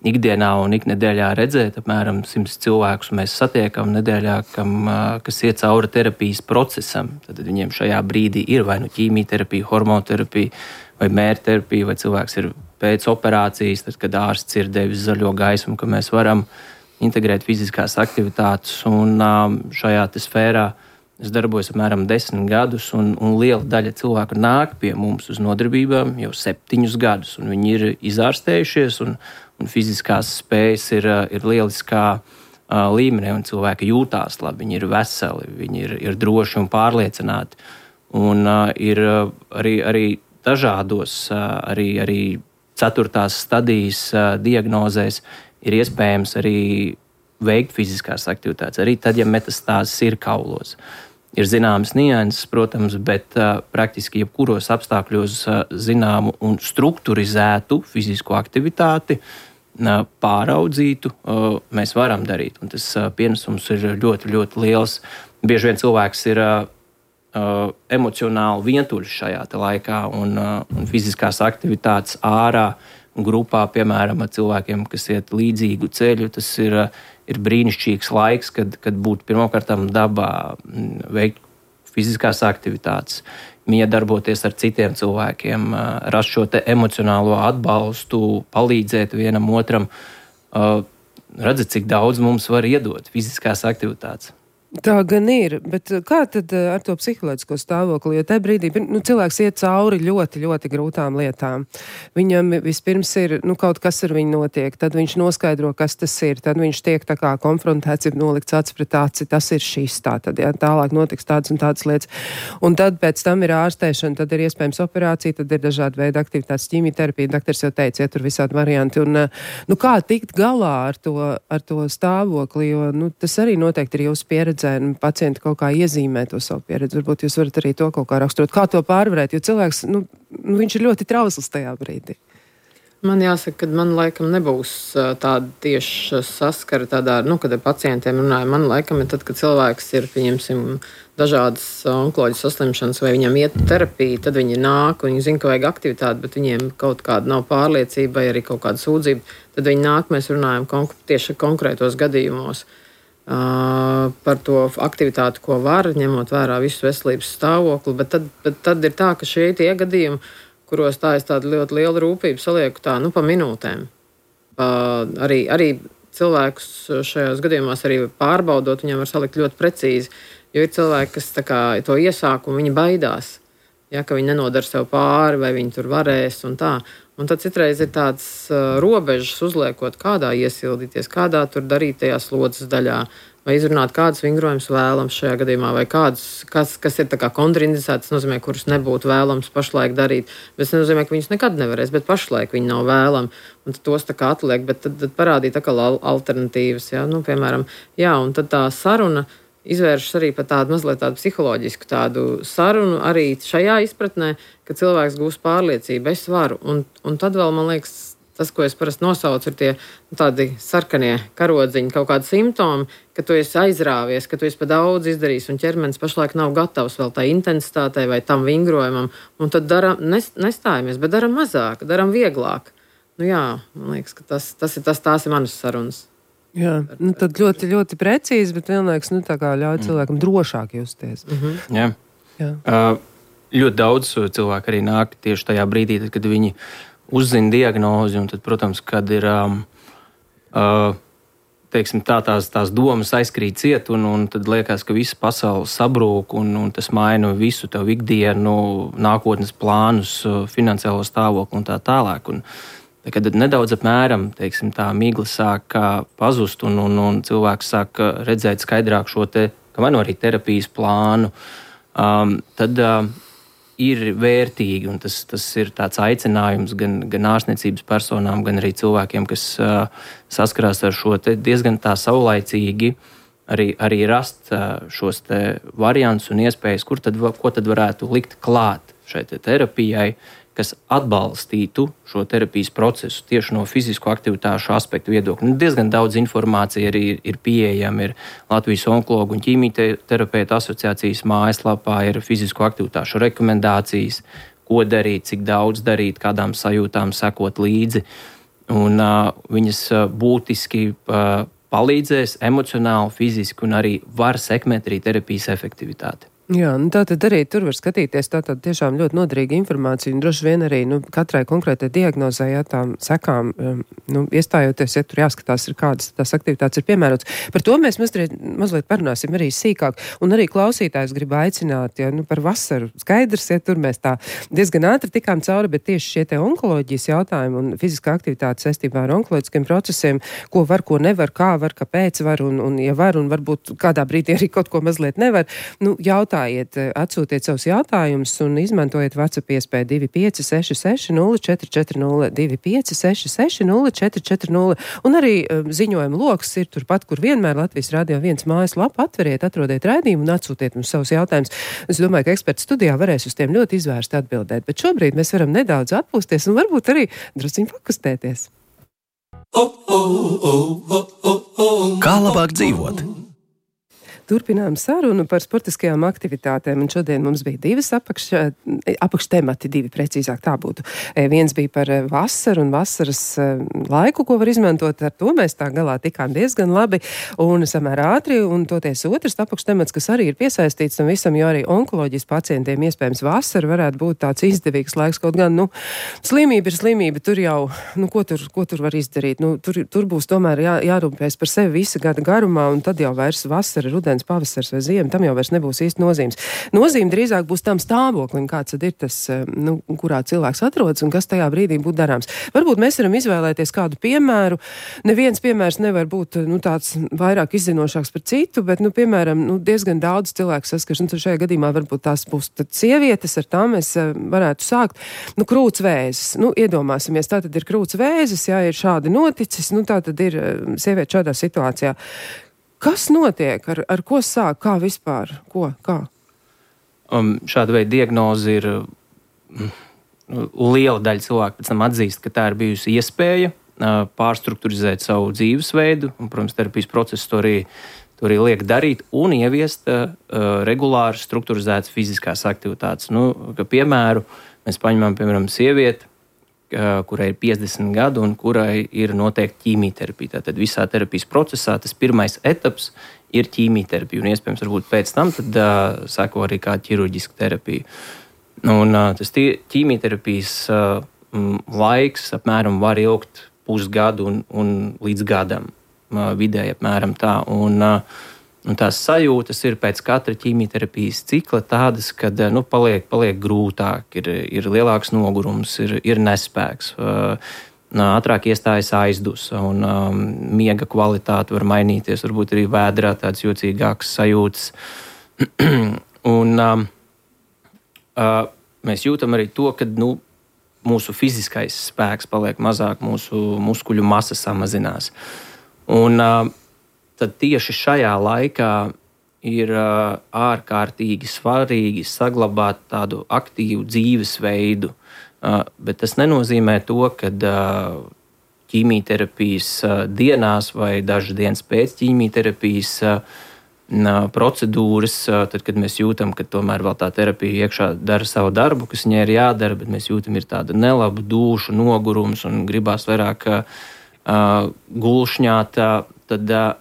ikdienā un iknedēļā redzēt, apmēram simts cilvēkus mēs satiekam nedēļā, kam, kas iet cauri terapijas procesam. Tad viņiem šajā brīdī ir vai nu ķīmijterapija, hormonoterapija, vai mērķterapija, vai cilvēks ir pēc operācijas, tad, kad ārsts ir devis zaļo gaismu, ka mēs varam integrēt fiziskās aktivitātes. Un šajā te sfērā es darbojos apmēram desmit gadus, un, un liela daļa cilvēku nāk pie mums uz nodarbībām jau septiņus gadus, un viņi ir izārstējušies, un, un fiziskās spējas ir, ir lieliskā līmenī, un cilvēki jūtās labi, viņi ir veseli, viņi ir, ir droši un pārliecināti. Un uh, ir arī, arī dažādos, arī, arī ceturtās stadijas diagnozēs ir iespējams arī veikt fiziskās aktivitātes, arī tad, ja metastāzes ir kaulos. Ir zināmas nianses, protams, bet uh, praktiski jebkuros apstākļos uh, zināmu un strukturizētu fizisko aktivitāti, uh, pāraudzītu, uh, mēs varam darīt. Un tas uh, pienesums ir ļoti, ļoti liels. Bieži vien cilvēks ir uh, Uh, emocionāli vientuļš šajā laikā, un, uh, un fiziskās aktivitātes ārā un grupā, piemēram, ar cilvēkiem, kas iet līdzīgu ceļu, tas ir, uh, ir brīnišķīgs laiks, kad, kad būtu pirmkārtām dabā veikt fiziskās aktivitātes, miedarboties ar citiem cilvēkiem, uh, rast šo te emocionālo atbalstu, palīdzēt vienam otram. Uh, redzat, cik daudz mums var iedot fiziskās aktivitātes. Tā gan ir, bet kā tad ar to psiholoģisko stāvokli, jo tajā brīdī nu, cilvēks iet cauri ļoti, ļoti grūtām lietām. Viņam vispirms ir, nu, kaut kas ar viņu notiek, tad viņš noskaidro, kas tas ir, tad viņš tiek tā kā konfrontēts, ir nolikts acs pret aci, tas ir šis tā, tad jā, tālāk notiks tādas un tādas lietas. Un tad pēc tam ir ārstēšana, tad ir iespējams operācija, tad ir dažādi veidi aktivitātes, ķīmijterapija, daktars jau teica, ja tur visādi varianti. Un, nu, kā tikt galā ar to, ar to stāvokli, jo, nu, tas arī noteikti ir jūsu pieredze. Pacienti kaut kā iezīmē to savu pieredzi. Varbūt jūs varat arī to kaut kā raksturot. Kā to pārvarēt? Jo cilvēks, nu, viņš ir ļoti trausls tajā brīdī. Man jāsaka, ka man laikam nebūs tāda tieši saskara tādā, nu, kad ar pacientiem runāju. Man laikam ir tad, kad cilvēks ir, pieņemsim, dažādas onkoloģijas saslimšanas vai viņam iet terapija, tad viņi nāk un viņi zina, ka vajag aktivitāti, bet viņiem kaut kāda nav pārliecība vai arī kaut kāda sūdzība. Tad viņi nāk, mēs runājam konk- tieši konkrētos gadījumos. Uh, par to aktivitāti, ko var, ņemot vērā visu veselības stāvokli, bet tad, bet tad ir tā, ka šie tie gadījumi, kuros tā es tādu ļoti lielu rūpību salieku tā, nu, pa minūtēm. Uh, arī, arī cilvēkus šajos gadījumos arī pārbaudot, viņam var salikt ļoti precīzi, jo ir cilvēki, kas tā kā to iesāk un viņi baidās, ja, ka viņi nenodara sev pāri vai viņi tur varēs un tā. Un tad citreiz ir tāds uh, robežas uzliekot, kādā iesildīties, kādā tur darīt tajā slodzes daļā, vai izrunāt kādus vingrojumus vēlams šajā gadījumā, vai kādus, kas, kas ir tā kā kontraindicēts, tas nozīmē, kurus nebūtu vēlams pašlaik darīt. Bet tas nenozīmē, ka viņus nekad nevarēs, bet pašlaik viņi nav vēlami, un tos tā kā atliek, bet tad, tad parādīt tā kā alternatīvas, jā, nu, piemēram, jā, un tad tā saruna izvēršas arī par tādu mazliet tādu psiholoģisku tādu sarunu arī šajā izpratnē, ka cilvēks gūs pārliecību, es varu. Un, un tad vēl, man liekas, tas, ko es parasti nosaucu, ir tie nu, tādi sarkanie karodziņi, kaut kādi simptomi, ka tu esi aizrāvies, ka tu esi pa daudz izdarījis un ķermenis pašlaik nav gatavs vēl tā intensitātei vai tam vingrojumam. Un tad daram, nestājamies, bet daram mazāk, daram vieglāk. Nu jā, man liekas, ka tas, tas ir tas, tās ir manas sarunas. Jā, nu tad ļoti, ļoti precīzi, bet vienlaikus nu, tā kā ļauj cilvēkam drošāk justies. Mm-hmm. Jā. Jā. Uh, ļoti daudz cilvēku arī nāk tieši tajā brīdī, tad, kad viņi uzzina diagnozi, un tad, protams, kad ir um, uh, teiksim, tā, tās, tās domas aizkrīt ciet, un, un tad liekas, ka visa pasaule sabrūk, un, un tas maina visu tavu ikdienu, nākotnes plānus, finansiālo stāvokli un tā tālāk. Un, kad nedaudz apmēram teiksim, tā migla sāk pazust, un, un, un cilvēks sāk redzēt skaidrāk šo te, vai no arī terapijas plānu, um, tad uh, ir vērtīgi, un tas, tas ir tāds aicinājums gan, gan ārstniecības personām, gan arī cilvēkiem, kas uh, saskarās ar šo te diezgan tā saulaicīgi arī, arī rast uh, šos te variantus un iespējas, kur tad, ko tad varētu likt klāt šai te terapijai, kas atbalstītu šo terapijas procesu tieši no fizisko aktivitāšu aspektu viedokļa. Nu, diezgan daudz informācija arī ir, ir pieejama. Ir Latvijas onkologu un ķīmijterapeitu asociācijas mājaslapā, ir fizisko aktivitāšu rekomendācijas, ko darīt, cik daudz darīt, kādām sajūtām sekot līdzi. Un uh, viņas uh, būtiski uh, palīdzēs emocionāli, fiziski un arī var sekmēt arī terapijas efektivitāti. Jā, nu tā tad arī tur var skatīties, tā tad tiešām ļoti noderīga informācija, un droši vien arī, nu, katrai konkrētai diagnozē, ja tām sekām, um, nu, iestājoties, ja tur jāskatās, ir kādas tās aktivitātes ir piemērotas. Par to mēs mazliet, mazliet parunāsim arī sīkāk, un arī klausītājs grib aicināt, ja, nu, par vasaru skaidrs, ja tur mēs tā diezgan ātri tikām cauri, bet tieši šie te onkoloģijas jautājumi un fiziskā aktivitāte saistībā ar onkoloģiskiem procesiem, ko var, ko nevar, kā var, kāpēc var, un, un ja var, un varbūt kādā brīdī arī kaut ko mazliet nevar, nu, jautā atsūtiet savus jautājumus un izmantojiet WhatsApp iespēju divi pieci seši seši nulle četri četri nulle, divi pieci seši seši nulle četri četri nulle, un arī um, ziņojuma loks ir turpat, kur vienmēr Latvijas Radio viens mājaslapa, atveriet, atrodiet raidījumu un atsūtiet mums savus jautājumus. Es domāju, ka eksperti studijā varēs uz tiem ļoti izvērsti atbildēt, bet šobrīd mēs varam nedaudz atpūsties un varbūt arī drusciņ pakustēties. Kā labāk dzīvot? Turpinām sarunu par sportiskajām aktivitātēm, un šodien mums bija divas apakš, apakštemati, divi precīzāk tā būtu. Viens bija par vasaru un vasaras laiku, ko var izmantot, ar to mēs tā galā tikām diezgan labi un samērā ātri, un toties otrs apakštemats, kas arī ir piesaistīts tam visam, jo arī onkoloģijas pacientiem iespējams vasara varētu būt tāds izdevīgs laiks, kaut gan, nu, slimība ir slimība, tur jau, nu, ko tur, ko tur var izdarīt? Nu, tur, tur būs tomēr jā, jārūpēs par sevi visa gada garumā, un tad jau vairs vasara, rudens, pavasars vai ziema, tam jau vairs nebūs īsti nozīmes. Nozīme drīzāk būs tam stāvoklim, kāds tad ir tas, nu, kurā cilvēks atrodas un kas tajā brīdī būtu darāms. Varbūt mēs varam izvēlēties kādu piemēru. Neviens piemērs nevar būt, nu, tāds vairāk izzinošāks par citu, bet, nu, piemēram, nu, diezgan daudz cilvēku saskars, un šajā gadījumā varbūt tās būs tad sievietes, ar tām mēs varētu sākt. Nu, krūts vēzis. Nu, iedomāsimies, tā tad ir krūts vēzis, jā, ir šādi noticis, nu, tā tad ir sieviete šādā situācijā. Kas notiek? Ar, ar ko sāk? Kā vispār? Ko? Kā? Um, šāda veida diagnoze ir um, liela daļa cilvēku pēc tam atzīst, ka tā ir bijusi iespēja uh, pārstrukturizēt savu dzīvesveidu, un, protams, terapijas procesu to arī, to arī liek darīt un ieviest uh, regulāri strukturizētas fiziskās aktivitātes. Nu, ka, piemēru, mēs paņemam, piemēram, sievieti, kurai ir piecdesmit gadu un kurai ir noteikti ķīmijterapija. Tātad visā terapijas procesā tas pirmais etaps ir ķīmijterapija, un iespējams varbūt pēc tam tad uh, sako arī kā ķirurģiska terapija. Un uh, tas ķīmijterapijas uh, laiks apmēram var ilgt pusgadu un, un līdz gadam, uh, vidēji apmēram tā. Un, uh, Un tās sajūtas ir pēc katra ķīmijterapijas cikla tādas, ka nu, paliek, paliek grūtāk, ir, ir lielāks nogurums, ir, ir nespēks. Ātrāk iestājas aizdusa un um, miega kvalitāte var mainīties, varbūt arī vēdrā tādas jocīgākas sajūtas. un um, uh, mēs jūtam arī to, ka nu, mūsu fiziskais spēks paliek mazāk, mūsu muskuļu masa samazinās. Un uh, tad tieši šajā laikā ir uh, ārkārtīgi svarīgi saglabāt tādu aktīvu dzīvesveidu. Uh, bet tas nenozīmē to, ka uh, ķīmijterapijas uh, dienās vai dažas dienas pēc ķīmijterapijas uh, procedūras, tad, kad mēs jūtam, ka tomēr vēl tā terapija iekšā dara savu darbu, kas viņai ir jādara, bet mēs jūtam, ir tāda nelaba dūša, nogurums un gribās vairāk uh, gulšņāt, tad, uh,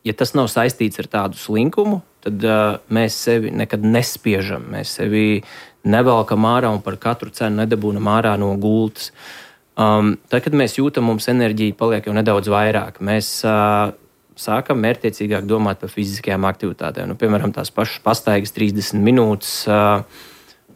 ja tas nav saistīts ar tādu slinkumu, tad uh, mēs sevi nekad nespiežam, mēs sevi nevelkam ārā un par katru cenu nedabūnam ārā no gultas. Um, tad, kad mēs jūtam, mums enerģija paliek jau nedaudz vairāk, mēs uh, sākam mērķtiecīgāk domāt par fiziskajām aktivitātēm. Nu, piemēram, tās pašas pastaigas trīsdesmit minūtes uh,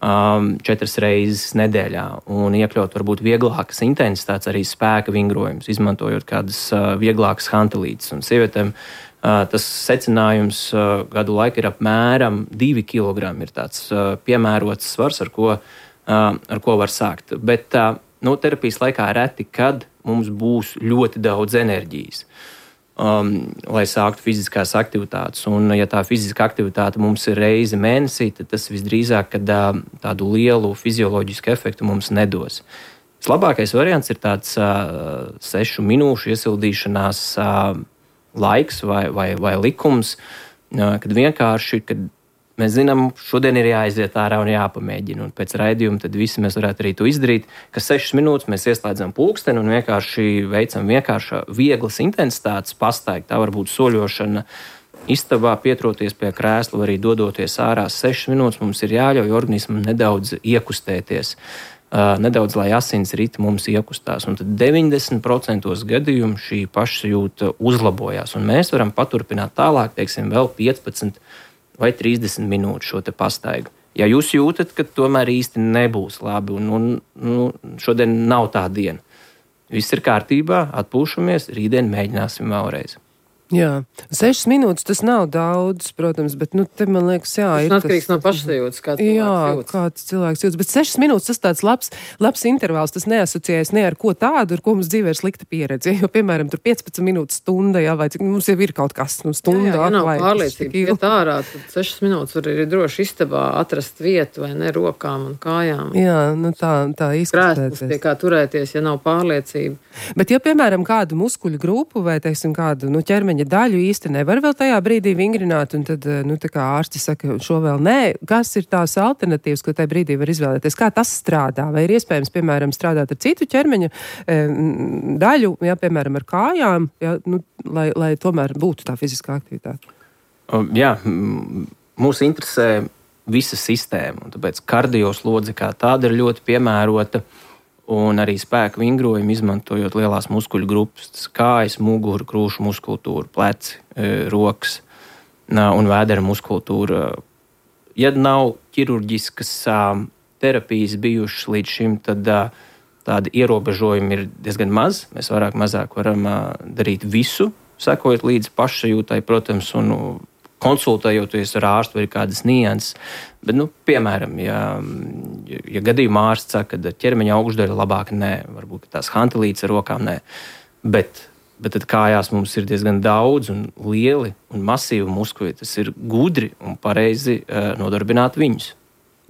um, četras reizes nedēļā un iekļaut varbūt vieglākas intensitātes, arī spēka vingrojumus, izmantojot kādas uh, vieglākas hantelītes. Un sievietēm uh, tas secinājums uh, gadu laikā ir apmēram divi kilogrami. Ir tāds uh, piemērots svars, ar ko, uh, ar ko var sākt. Bet uh, nu, terapijas laikā reti, kad mums būs ļoti daudz enerģijas. Um, lai sāktu fiziskās aktivitātes. Un, ja tā fiziskā aktivitāte mums ir reize mēnesī, tad tas visdrīzāk, kad uh, tādu lielu fizioloģisku efektu mums nedos. Vislabākais variants ir tāds uh, sešu minūšu iesildīšanās uh, laiks vai, vai, vai likums, uh, kad vienkārši, kad mēs zinām, šodien ir jāaiziet ārā un jāpamēģina. Un pēc raidījuma tad visi mēs varētu arī to izdarīt, ka sešas minūtes mēs ieslēdzam pulksteni un vienkārši veicam vienkārši vieglas intensitātes pastaigi. Tā var būt soļošana istabā, pietroties pie krēsla, vai arī dodoties ārā. Sešas minūtes mums ir jāļauj organismam nedaudz iekustēties, uh, nedaudz, lai asins riti mums iekustās. Un tad deviņdesmit procentos gadījumu šī pašsajūta uzlabojās. Un mēs varam paturpināt tālāk, teiksim, vēl piecpadsmit vai trīsdesmit minūtes šo te pastaigu. Ja jūs jūtat, ka tomēr īsti nebūs labi un, un nu, šodien nav tā diena, viss ir kārtībā, atpūšamies, rītdien mēģināsim vēlreiz. Jā, sešas minūtes tas nav daudz, protams, bet, nu, te man liekas, jā, tas ir tas... atkarīgs no pašsajūtas, kā cilvēks jā, jūtas. kāds cilvēks jūtas, bet sešas minūtes tas tāds labs, labs intervāls, tas neasociējas ne ar ko tādu, ar ko mums dzīvē ir slikta pieredze, jo, piemēram, tur piecpadsmit minūtes stunda, jā, vai cik mums jau ir kaut kas, nu, stunda. Jā, jā, ja nav vai, pārliecība, iet ārā, tad sešas minūtes var arī droši istabā atrast vietu vai ne rokām un kājām. Jā, nu tā, tā izskatēties. Krēsls, pie kā turēties, ja nav pārliecība. Bet, ja, piemēram, kādu muskuļu grupu vai, teiksim, kādu, nu, ķermeņa daļu īsti nevar vēl tajā brīdī vingrināt, un tad, nu, tā kā ārsti saka, šo vēl nē, kas ir tās alternatīvas, ko tajā brīdī var izvēlēties? Kā tas strādā? Vai ir iespējams, piemēram, strādāt ar citu ķermeņa e, daļu, ja, piemēram, ar kājām, ja, nu, lai, lai tomēr būtu tā fiziskā aktivitāte? Jā, mūs interesē visa sistēma, un tāpēc kardioslodze kā tāda ir ļoti piemērota, un arī spēka vingrojumu izmantojot lielās muskuļu grupas, kājas, muguru, krūšu muskultūru, pleci, rokas un vēdera muskultūra. Ja nav ķirurģiskas terapijas bijušas līdz šim, tad tādi ierobežojumi ir diezgan maz. Mēs vairāk mazāk varam darīt visu, sekojot līdz pašsajūtai, protams, un konsultējoties ar ārstu vai kādas nianses. Bet, nu, piemēram, ja, ja gadījumā ārsts saka, ka ķermeņa augšdaļa labāk nē, varbūt tās hantelītes ar rokām nē, bet, bet tad kājās mums ir diezgan daudz un lieli un masīvi muskuļi. Tas ir gudri un pareizi uh, nodarbināt viņus.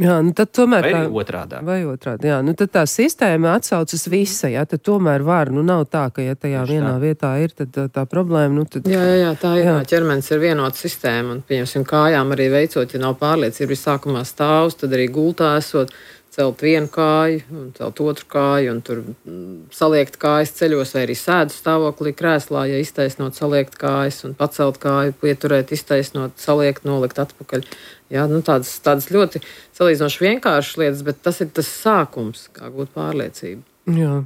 Jā, nu tad tomēr vai tā, otrādā. Vai otrādā, jā. Nu tad tā sistēma atsaucas visa, jā, tad tomēr var, nu nav tā, ka ja tajā Tieši vienā tā. vietā ir, tad tā, tā problēma, nu tad... Jā, jā, jā, tā ir, jā. ķermenis ir vienota sistēma, un, pieņemsim, kājām arī veicot, ja nav pārliecība, ir sākumā stāvs, tad arī gultā esot, celt vienu kāju, un celt otru kāju, un tur saliekt kājas ceļos, vai arī sēdu stāvoklī krēslā, ja iztaisnot saliekt kājas, un pacelt kāju, pieturēt, iztaisnot, saliekt, nolikt atpakaļ. Jā, nu tādas, tādas ļoti salīdzinoši vienkāršas lietas, bet tas ir tas sākums, kā gūt pārliecību. Jā.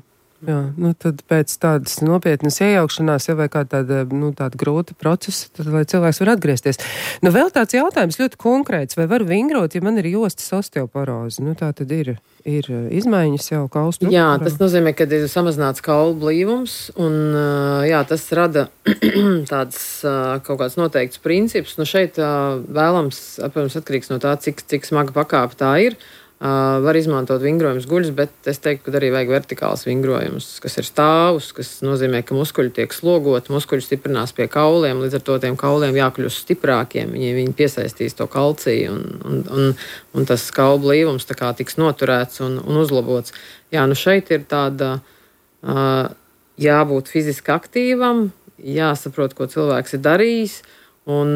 Jā, nu tad pēc tādas nopietnas iejaukšanās, ja vai kā tāda, nu, tāda grūta procesa, tad lai cilvēks var atgriezties. Nu, vēl tāds jautājums ļoti konkrēts, vai var vingrot, ja man ir jostas osteoporoze? Nu, tā tad ir, ir izmaiņas jau kaulu struktūrā. Jā, tas nozīmē, ka ir samazināts kaulu blīvums, un jā, tas rada tāds kaut kāds noteikts princips. Nu, šeit vēlams, protams, atkarīgs no tā, cik, cik smaga pakāpe tā ir. Uh, var izmantot vingrojumus guļus, bet es teiktu, ka arī vajag vertikāls vingrojumus, kas ir stāvus, kas nozīmē, ka muskuļi tiek slogoti, muskuļi stiprinās pie kauliem, līdz ar to tiem kauliem jākļūst stiprākiem, viņi, viņi piesaistīs to kalciju un, un, un, un tas kaulu blīvums tā kā tiks noturēts un, un uzlabots. Jā, nu šeit ir tāda uh, jābūt fiziski aktīvam, jāsaprot, ko cilvēks ir darījis. Un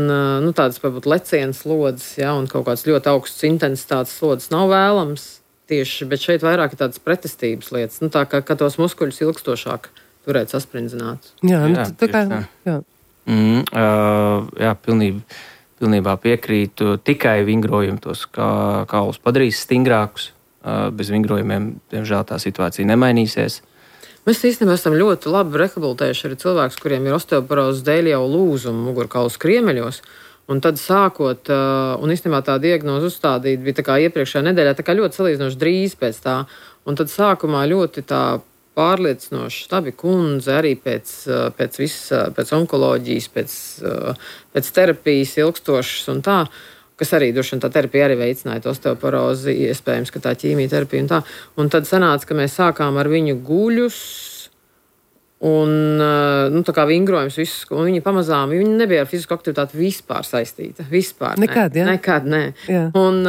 nu, tādas varbūt lecienas slodzes, ja, un kaut kāds ļoti augsts intensitātes slodzes nav vēlams tieši, bet šeit vairāk ir tādas pretestības lietas, nu, tā kā, ka tos muskuļus ilgstošāk turēt sasprindzinātus. Jā, nu, tā kā, jā. Mm, uh, jā, pilnībā, pilnībā piekrītu. Tikai vingrojumi tos kā, kaulus padarīs stingrākus. Uh, bez vingrojumiem, diemžēl, tā situācija nemainīsies. Mēs īstenībā esam ļoti labi rehabilitējuši arī cilvēkus, kuriem ir osteoporozes dēļ jau lūzumi mugurkaulu skriemeļos. Un tad sākot, un īstenībā tā diagnoze uzstādīta bija tā kā iepriekšējā nedēļā, tā kā ļoti salīdzinoši drīz pēc tā. Un tad sākumā ļoti tā pārliecinoši stabi kundze arī pēc, pēc, viss, pēc onkoloģijas, pēc, pēc terapijas ilgstošas un tā, kas arī droši vien tā terapija arī veicināja osteoporozi, iespējams, ka tā ķīmijterapija un tā. Un tad sanāca, ka mēs sākām ar viņu guļus un, nu, tā kā vingrojums visus, un viņi pamazām, viņi nebija ar fizisku aktivitāti vispār saistīta. Vispār, nekad, ne. jā? Nekad, nē. Jā. Un,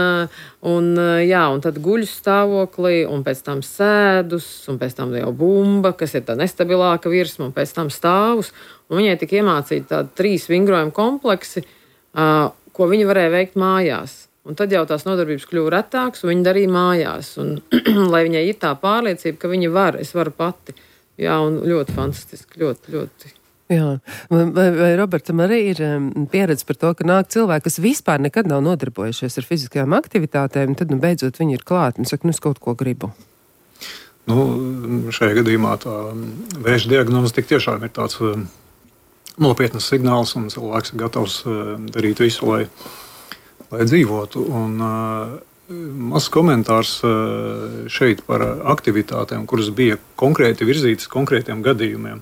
un, jā, un tad guļus stāvoklī, un pēc tam sēdus, un pēc tam jau bumba, kas ir tā nestabilāka virsma, un pēc tam stāvus. Un viņai tika iemācīti tādi trīs vingrojumu kompleksi, uh, ko viņi varēja veikt mājās. Un tad jau tās nodarbības kļuva retākas, un viņi darīja mājās. Un, lai viņai ir tā pārliecība, ka viņi var, es varu pati. Jā, un ļoti fantastiski, ļoti, ļoti. Jā, vai, vai Robertam arī ir um, pieredze par to, ka nāk cilvēki, kas vispār nekad nav nodarbojušies ar fiziskajām aktivitātēm, un tad, nu, beidzot viņi ir klāt un saka, nu, es kaut ko gribu. Nu, šajā gadījumā tā vēža diagnoze tik tiešām ir tāds um, nopietnas signāls, un cilvēks ir gatavs uh, darīt visu, lai, lai dzīvotu. Un, uh, mazs komentārs uh, šeit par aktivitātēm, kuras bija konkrēti virzītas konkrētiem gadījumiem.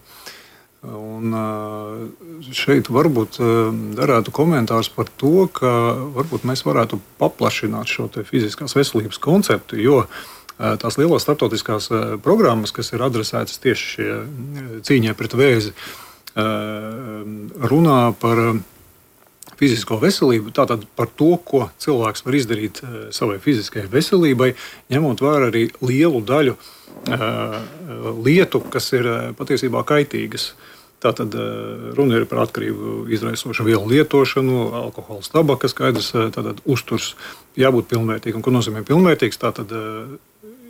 Un, uh, šeit varbūt uh, darētu komentārs par to, ka varbūt mēs varētu paplašināt šo te fiziskās veselības konceptu, jo uh, tās lielās starptautiskās uh, programmas, kas ir adresētas tieši šie cīņai pret vēzi, runā par fizisko veselību, tātad par to, ko cilvēks var izdarīt savai fiziskajai veselībai, ņemot vērā arī lielu daļu lietu, kas ir patiesībā kaitīgas. Tātad runa ir par atkarību izraisošu vielu lietošanu, alkohols, tabaka, skaidrs, tātad uzturs jābūt pilnvērtīgam. Ko nozīmē pilnvērtīgs? Tātad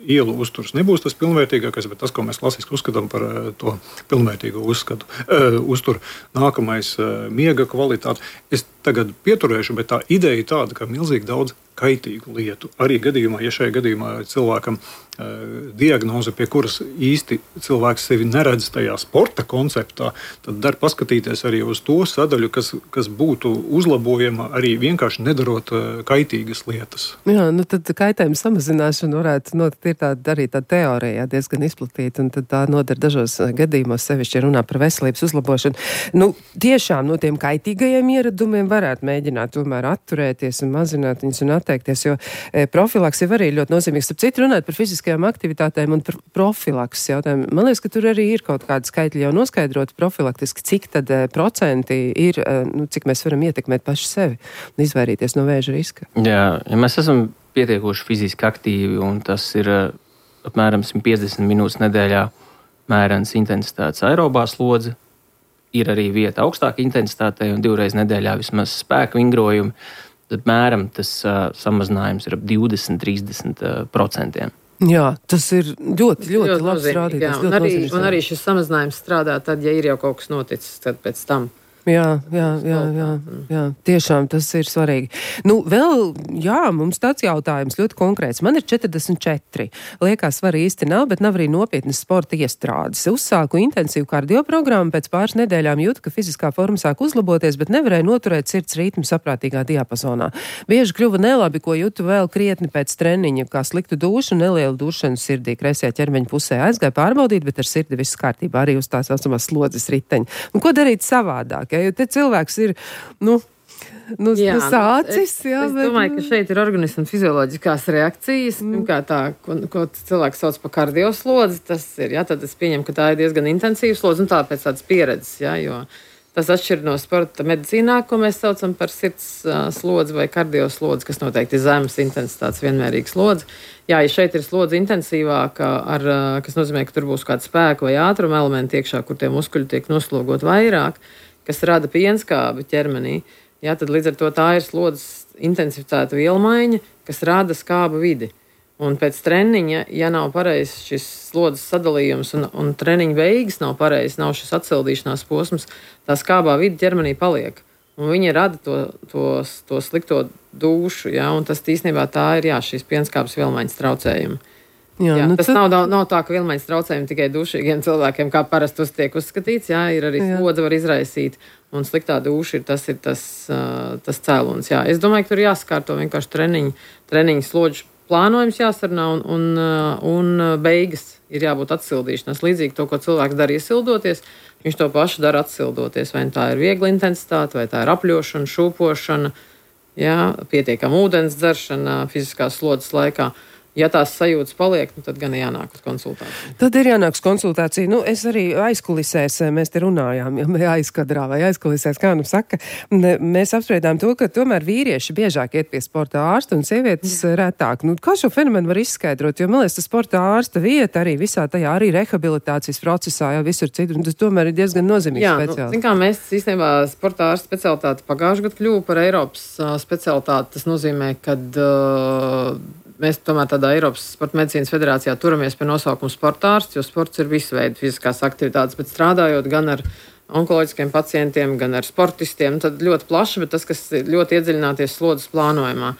ielu uzturs nebūs tas pilnvērtīgākais, bet tas, ko mēs klasiski uzskatām par to pilnvērtīgo uzskatu, uh, uzturu. Nākamais uh, miega kvalitāte. Es tagad pieturēšu, bet tā ideja ir tāda, ka milzīgi daudz kaitīgu lietu. Arī gadījumā, ja šajā gadījumā cilvēkam uh, diagnoze, pie kuras īsti cilvēks sevi neredz tajā sporta konceptā, tad dar paskatīties arī uz to sadaļu, kas, kas būtu uzlabojama arī vienkārši nedarot uh, kaitīgas lietas. Jā, nu tad kaitējuma samazināšana varētu notikt, ir tāda arī tā teorija diezgan izplatīta, un tad tā nodara dažos gadījumos, sevišķi runā par veselības uzlabošanu. Nu, tiešām no tiem kaitīgajiem ieradumiem varētu mēģināt tomēr atturēties un mazināt viņus un atteikties, jo e, profilaks jau arī ļoti nozīmīgs. Starp citu, runāt par fiziskajām aktivitātēm un par profilaks jautājumu. Man liekas, ka tur arī ir kaut kādi skaitļi jau noskaidroti profilaktiski, cik tad e, procenti ir, e, nu, cik mēs varam ietekmēt paši sevi un izvairīties no vēža riska. Jā, ja mēs esam pietiekoši fiziski aktīvi, un tas ir uh, apmēram simt piecdesmit minūtes nedēļā mērens intensitātes aerobā slodze. Ir arī vieta augstāka intensitātei un divreiz nedēļā vismaz spēka vingrojumi. Tad mēram tas uh, samazinājums ir ap divdesmit līdz trīsdesmit procentiem. Jā, tas ir ļoti, ļoti, ļoti labs rādītājs. Un, arī, un arī šis samazinājums strādā tad, ja ir jau kaut kas noticis tad pēc tam. Jā, jā, jā, jā, jā, tiešām tas ir svarīgi. Nu, vēl, jā, mums tāds jautājums ļoti konkrēts. Man ir četrdesmit četri. Liekas, var īsti nav, bet nav arī nopietnas sporta iestrādes. Uzsāku intensīvu kardioprogrammu, pēc pāris nedēļām jūtu, ka fiziskā forma sāk uzlaboties, bet nevarēju noturēt sirds ritmu saprātīgā diapazonā. Bieži kļuva nelabi, ko jūtu vēl krietni pēc treniņa, kā sliktu dušu, nelielu dušanu sirdī. Kreisajā ķermeņa pusē aizgāja pārbaudīt, bet ar sirdi viss kārtībā, arī uz tās saucamās slodzes riteņa. Un ko darīt savādāk? Ja, jo te cilvēks ir, nu, nu, jā, nu sācis. Es, jā, es bet... domāju, ka šeit ir organisma fizioloģiskās reakcijas. Mm. Kā tā, ko, ko cilvēks sauc par kardioslodzi, tas ir, jā, tad es pieņemu, ka tā ir diezgan intensīva slodze, un tā pēc tādas pieredzes, jā, jo tas atšķir no sporta medicīnā, ko mēs saucam par sirds uh, slodzi vai kardioslodzi, kas noteikti ir zemes intensitātes vienmērīgs slodzi. Jā, ja šeit ir slodze intensīvāka, ar, uh, kas nozīmē, ka tur būs kāda spēka vai ātruma elementi iekšā, kur tie muskuļi tiek noslogot vairāk, kas rada pienskābi ķermenī, jā, tad līdz ar to tā ir slodzes intensificēta vielmaiņa, kas rada skābu vidi. Un pēc treniņa, ja nav pareizs šis slodzes sadalījums un, un treniņa beigas nav pareizs, nav šis atsildīšanās posms, tā skābā vidi ķermenī paliek. Un viņi rada to, to, to slikto dušu, ja, un tas īstenībā tā ir, jā, šīs pienskābes vielmaiņas traucējumi. Jā, jā, nu tas tad... nav, nav, nav tā, ka vielmaiņas traucējumi tikai dušīgiem cilvēkiem, kā parasti uz tiek uzskatīts, jā, ir arī slodze var izraisīt, un sliktā duša ir tas, ir tas, uh, tas cēlons. Jā. Es domāju, ka tur jāskārto vienkārši treniņu, treniņu slodžu plānojums jāsarunā un, un, un beigas ir jābūt atsildīšanās. Līdzīgi to, ko cilvēks dara iesildoties, viņš to pašu dara atsildoties. Vai tā ir viegla intensitāte, vai tā ir apļošana, šūpošana, jā, pietiekama ūdens dzeršana fiziskās slodzes laikā. Ja tās sajūtas paliek, nu, tad gan jānāk uz konsultāciju. Tad ir jānāk uz konsultāciju. Nu, es arī aizkulisēs, mēs te runājām, ja aizkadrā vai aizkulisēs, kā nu saka, mēs apspriedām to, ka tomēr vīrieši biežāk iet pie sporta ārsta un sievietes retāk. Nu, kā šo fenomenu var izskaidrot? Jo, man liekas, tas sporta ārsta vieta arī visā tajā, arī rehabilitācijas procesā, jau visur citur, un tas tomēr ir diezgan nozīmīgs Jā, speciāls. Nu, zin kā, mēs īstenībā sporta ārsta specialitāti pagājušajā gadā kļuva par Eiropas uh, specialitāti. Tas nozīmē, kad uh, mēs tomēr tādā Eiropas Sporta medicīnas federācijā turamies pie nosaukuma sporta ārsts, jo sports ir visu veidu fiziskās aktivitātes, bet strādājot gan ar onkoloģiskiem pacientiem, gan ar sportistiem, tad ļoti plaši, bet tas, kas ir ļoti iedziļināties slodzes plānojumā.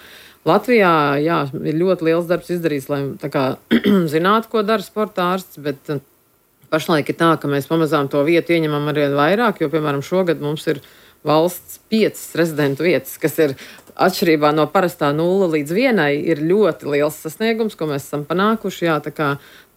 Latvijā, jā, ir ļoti liels darbs izdarīts, lai tā kā zinātu, ko dara sporta ārsts, bet pašlaik ir tā, ka mēs pamazām to vietu ieņemam arvien vairāk, jo, piemēram, šogad mums ir valsts piecas rezidentu vietas, kas ir atšķirībā no parastā nulle līdz vienai, ir ļoti liels sasniegums, ko mēs esam panākuši. Jā, tā kā,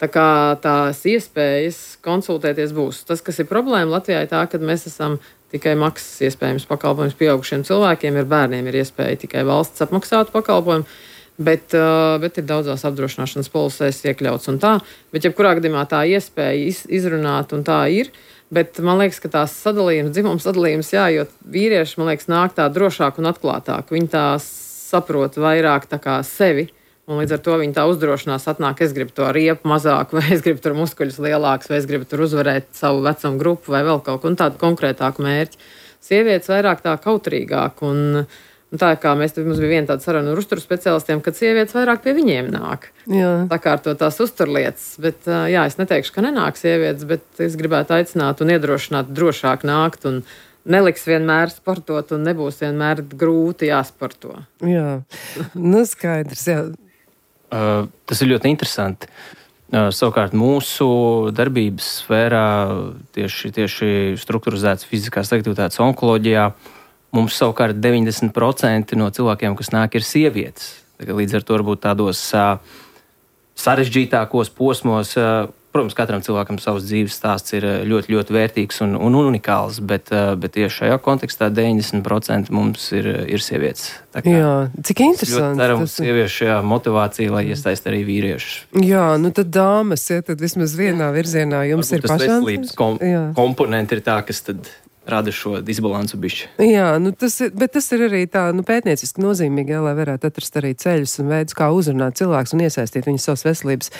tā kā tās iespējas konsultēties būs. Tas, kas ir problēma Latvijā, ir tā, ka mēs esam tikai maksas iespējams pakalpojums pieaugušiem cilvēkiem, ir bērniem ir iespēja tikai valsts apmaksātu pakalpojumu, bet, uh, bet ir daudzās apdrošināšanas polisēs iekļauts un tā. Bet jebkurā gadījumā tā iespēja iz, izrunāt un tā ir. Bet man liekas, ka tās sadalījums, dzimums sadalījums, jā, jo vīrieši, man liekas, nāk tā drošāk un atklātāk. Viņi tā saprot vairāk tā kā sevi, un līdz ar to viņi tā uzdrošinās atnāk, es gribu to riepu mazāku, vai es gribu tur muskuļus lielākus, vai es gribu tur uzvarēt savu vecumu grupu, vai vēl kaut ko, un tādu konkrētāku mērķi. Sievietes vairāk tā kautrīgāk, un, un tā kā mēs, mums bija viena tāda saruna ar uzturu speciālistiem, kad sievietes vairāk pie viņiem nāk. Jā. Sakārto tās uzturlietas, bet jā, es neteikšu, ka nenāk sievietes, bet es gribētu aicināt un iedrošināt drošāk nākt un neliks vienmēr sportot un nebūs vienmēr grūti jāsporto. Jā, nu skaidrs, jā. Uh, tas ir ļoti interesanti. Uh, savukārt mūsu darbības sfērā tieši, tieši strukturizētas fiziskās aktivitātes onkoloģijā mums savukārt deviņdesmit procenti no cilvēkiem, kas nāk, ir sievietes. Līdz ar to varbūt tādos uh, sarežģītākos posmos, uh, protams, katram cilvēkam savs dzīves stāsts ir ļoti, ļoti vērtīgs un, un unikāls, bet, uh, bet tieši šajā kontekstā deviņdesmit procenti mums ir, ir sievietes. Jā, cik interesanti. Ceram, tas... sieviešu jā, motivācija, lai iesaist arī vīriešus. Jā, nu tad dāmas, ja tad vismaz vienā virzienā jums varbūt ir pašām. Tas veselības kom komponenti ir tā, kas tad rada šo disbalansu bišķi. Jā, nu tas ir, bet tas ir arī tā, nu, pētnieciski nozīmīgi, jā, lai varētu atrast arī ceļus un veidus, kā uzrunāt cilvēkus un iesaistīt viņus savas veselības,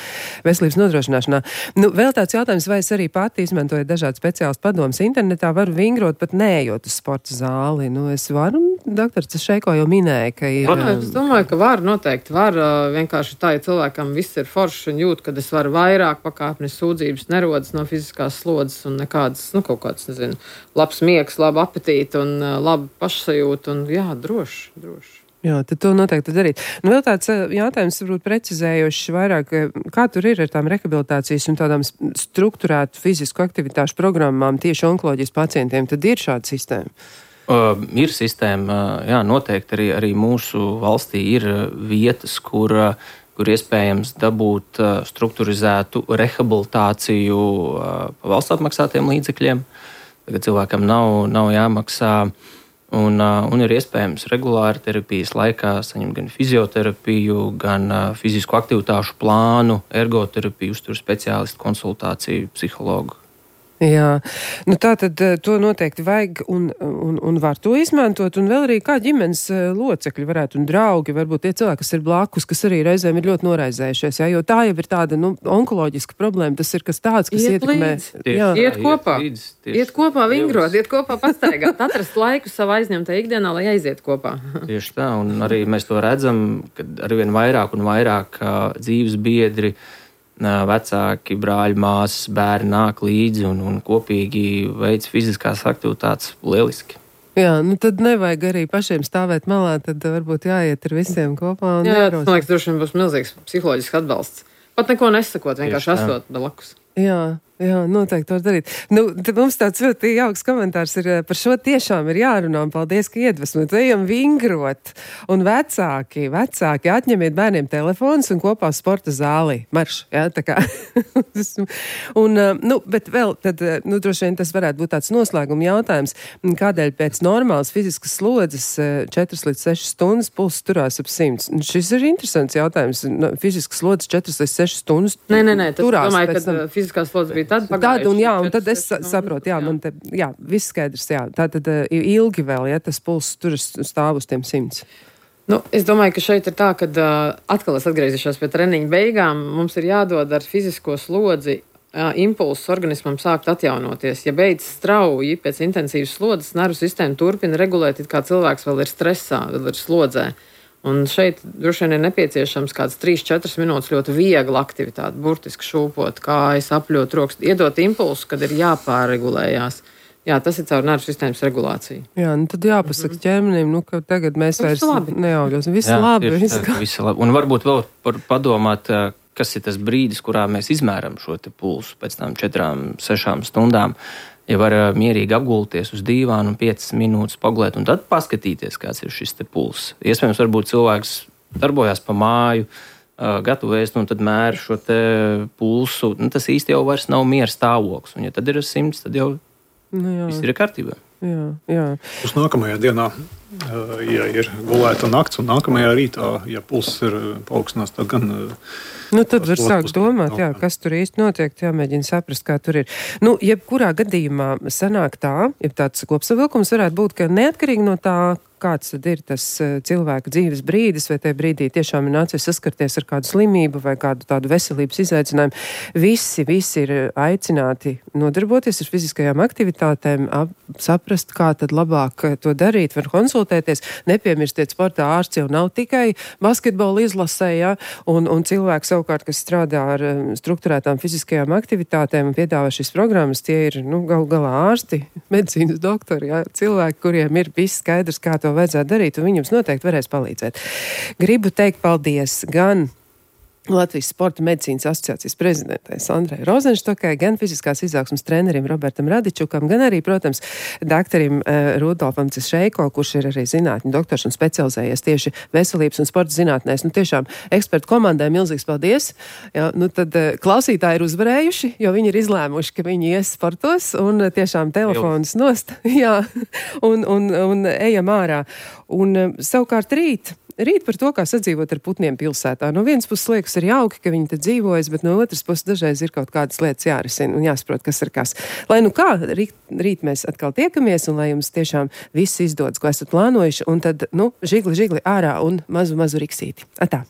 veselības nodrošināšanā. Nu, vēl tāds jautājums, vai es arī pati izmantoju dažādu speciālistu padomus internetā, varu vingrot pat neejot uz sporta zāli. Nu, es varu, doktors Šeiko jau minēja, ka ir... Protams, es domāju, ka var, noteikti var. Vienkārši tā, ja cilvēkam viss ir forši un jūt, kad es varu vairāk pakāpnes sūdzības nerodas no fiziskās slodzes un nekādas, nu, kaut kāds, nezinu, labs labs miegs, laba apetīte un uh, laba pašsajūta un jā, droši, droši. Jā, tad to noteikti darīt. Nu, vēl tāds jautājums, varbūt precizējošs vairāk, kā tur ir ar tām rehabilitācijas un tādām strukturētu fizisku aktivitāšu programmām tieši onkoloģijas pacientiem, tad ir šāda sistēma? Uh, ir sistēma, uh, jā, noteikti arī, arī mūsu valstī ir vietas, kur, uh, kur iespējams dabūt uh, strukturizētu rehabilitāciju uh, pa valsts apmaksātiem līdzekļiem. Tagad cilvēkam nav, nav jāmaksā. Un, uh, un ir iespējams regulāri terapijas laikā saņemt gan fizioterapiju, gan uh, fizisku aktivitāšu plānu, ergoterapiju, uzturu speciālistu konsultāciju, psihologu. Jā, nu tā tad to noteikti vajag un, un, un var to izmantot, un vēl arī kā ģimenes locekļi varētu un draugi, varbūt tie cilvēki, kas ir blakus, kas arī reizēm ir ļoti noraizējušies, jā, jo tā jau ir tāda, nu, onkoloģiska problēma, tas ir kas tāds, kas iet ietekmē. Tieši, jā, iet kopā, iet, līdz, tieši, iet kopā vingrot, iet kopā pastaigāt, atrast laiku savā aizņemtā ikdienā, lai aiziet kopā. Tieši tā, un arī mēs to redzam, kad arvien vairāk un vairāk dzīves biedri, vecāki, brāļi, māsas, bērni nāk līdzi un, un kopīgi veic fiziskās aktivitātes lieliski. Jā, nu tad nevajag arī pašiem stāvēt malā, tad varbūt jāiet ar visiem kopā. Un jā, tas, man liekas, droši vien būs milzīgs psiholoģisks atbalsts. Pat neko nesakot, vienkārši esot blakus. Jā, jā, noteikti var darīt. Nu, tad mums tāds ļoti jauks komentārs ir par šo tiešām ir jārunā, un paldies, ka iedvesmot. Ejam vingrot, un vecāki, vecāki atņemiet bērniem telefonus un kopā sporta zālī. Marš, jā, tā kā. un, nu, bet vēl, tad, nu, droši vien tas varētu būt tāds noslēguma jautājums, kādēļ pēc normālas fiziskas slodzes četras līdz sešas stundas pulss turās ap simts. Šis ir interesants jautājums. Fiziskas slodzes četras līdz sešas stundas nē, nē, nē, turās. Domāju, ka fiziskās slodzes bija tad pagājuši. Tad, un jā, un tad es saprotu, jā, jā. Man te, jā, viss skaidrs, jā. Tātad ilgi vēl, ja tas pulss turas stāv uz tiem simts. Nu, es domāju, ka šeit ir tā, ka uh, atkal es atgriezīšos pie treniņa beigām. Mums ir jādod ar fizisko slodzi uh, impulsus organismam sākt atjaunoties. Ja beidz strauji pēc intensīvas slodzes, nervu sistēma turpina regulēt, it kā cilvēks vēl ir stresā, vēl ir slodzē. Un šeit droši vien ir nepieciešams kāds trīs četras minūtes ļoti viegla aktivitāte, burtiski šūpot kājas, apļot rokas, iedot impulsu, kad ir jāpārregulējās. Jā, tas ir caur nervu sistēmas regulāciju. Jā, nu tad jāpasaka ķermenim, nu, ka tagad mēs vairs neaugļos. Viss labi. Viss labi. Un varbūt vēl par padomāt, kas ir tas brīdis, kurā mēs izmēram šo te pulsu pēc tam četrām, sešām stundām. Ja var mierīgi apgulties uz dīvānu un piecas minūtes pagulēt un tad paskatīties, kāds ir šis te pulss. Iespējams, varbūt cilvēks darbojās pa māju, gatavojas un tad mēra šo te pulsu. Nu, tas īsti jau vairs nav miera stāvoklis. Un ja tad ir simts, tad jau nu, viss ir kārtībā. Jā, jā. Uz nākamajā dienā, ja ir gulēta nakts un nākamajā rītā, ja pulss ir paaugstinās, tad gan... Nu, tad var sākt domāt, jā, kas tur īsti notiek, jāmēģina saprast, kā tur ir. Nu, jebkurā gadījumā sanāk tā, ja tāds kopsavilkums varētu būt, ka neatkarīgi no tā, kāds tad ir tas cilvēka dzīves brīdis, vai tajā brīdī tiešām ir nācies saskarties ar kādu slimību vai kādu tādu veselības izaicinājumu. Visi, visi ir aicināti nodarboties ar fiziskajām aktivitātēm, ap, saprast, kā tad labāk to darīt, var konsultēties. Nepiemirstiet, sportā ārsts jau nav tikai basketbola izlasē, ja, un, un cilvēki savukārt, kas strādā ar strukturētām fiziskajām aktivitātēm un piedāvā šīs programmas, tie ir, nu, gal galā ārsti, medicīnas doktori, ja, cilvēki, kuriem ir viss skaidrs, kā to vajadzētu darīt, un viņam noteikti varēs palīdzēt. Gribu teikt paldies gan Latvijas Sporta medicīnas asociācijas prezidentei Sandrai Rozenštokai, gan fiziskās izaugsmes trenerim Robertam Radičukam, gan arī, protams, doktorim uh, Rudolfam Cešeiko, kurš ir arī zinātņu doktors un specializējies tieši veselības un sporta zinātnēs. Nu, tiešām ekspertu komandai milzīgs paldies. Jā, nu tad uh, klausītāji ir uzvarējuši, jo viņi ir izlēmuši, ka viņi ies sportos un uh, tiešām telefonus nost. Jā, un, un, un ejam ārā. Un uh, savukārt rīt. Rīt par to, kā sadzīvot ar putniem pilsētā. No vienas puses liekas ir jauki, ka viņi te dzīvojas, bet no otras puses dažreiz ir kaut kādas lietas jārisina un jāsaprot, kas ir kas. Lai nu kā, rīt, rīt mēs atkal tiekamies un lai jums tiešām viss izdodas, ko esat plānojuši, un tad, nu, žigli, žigli ārā un mazu, mazu riksīti. Atā!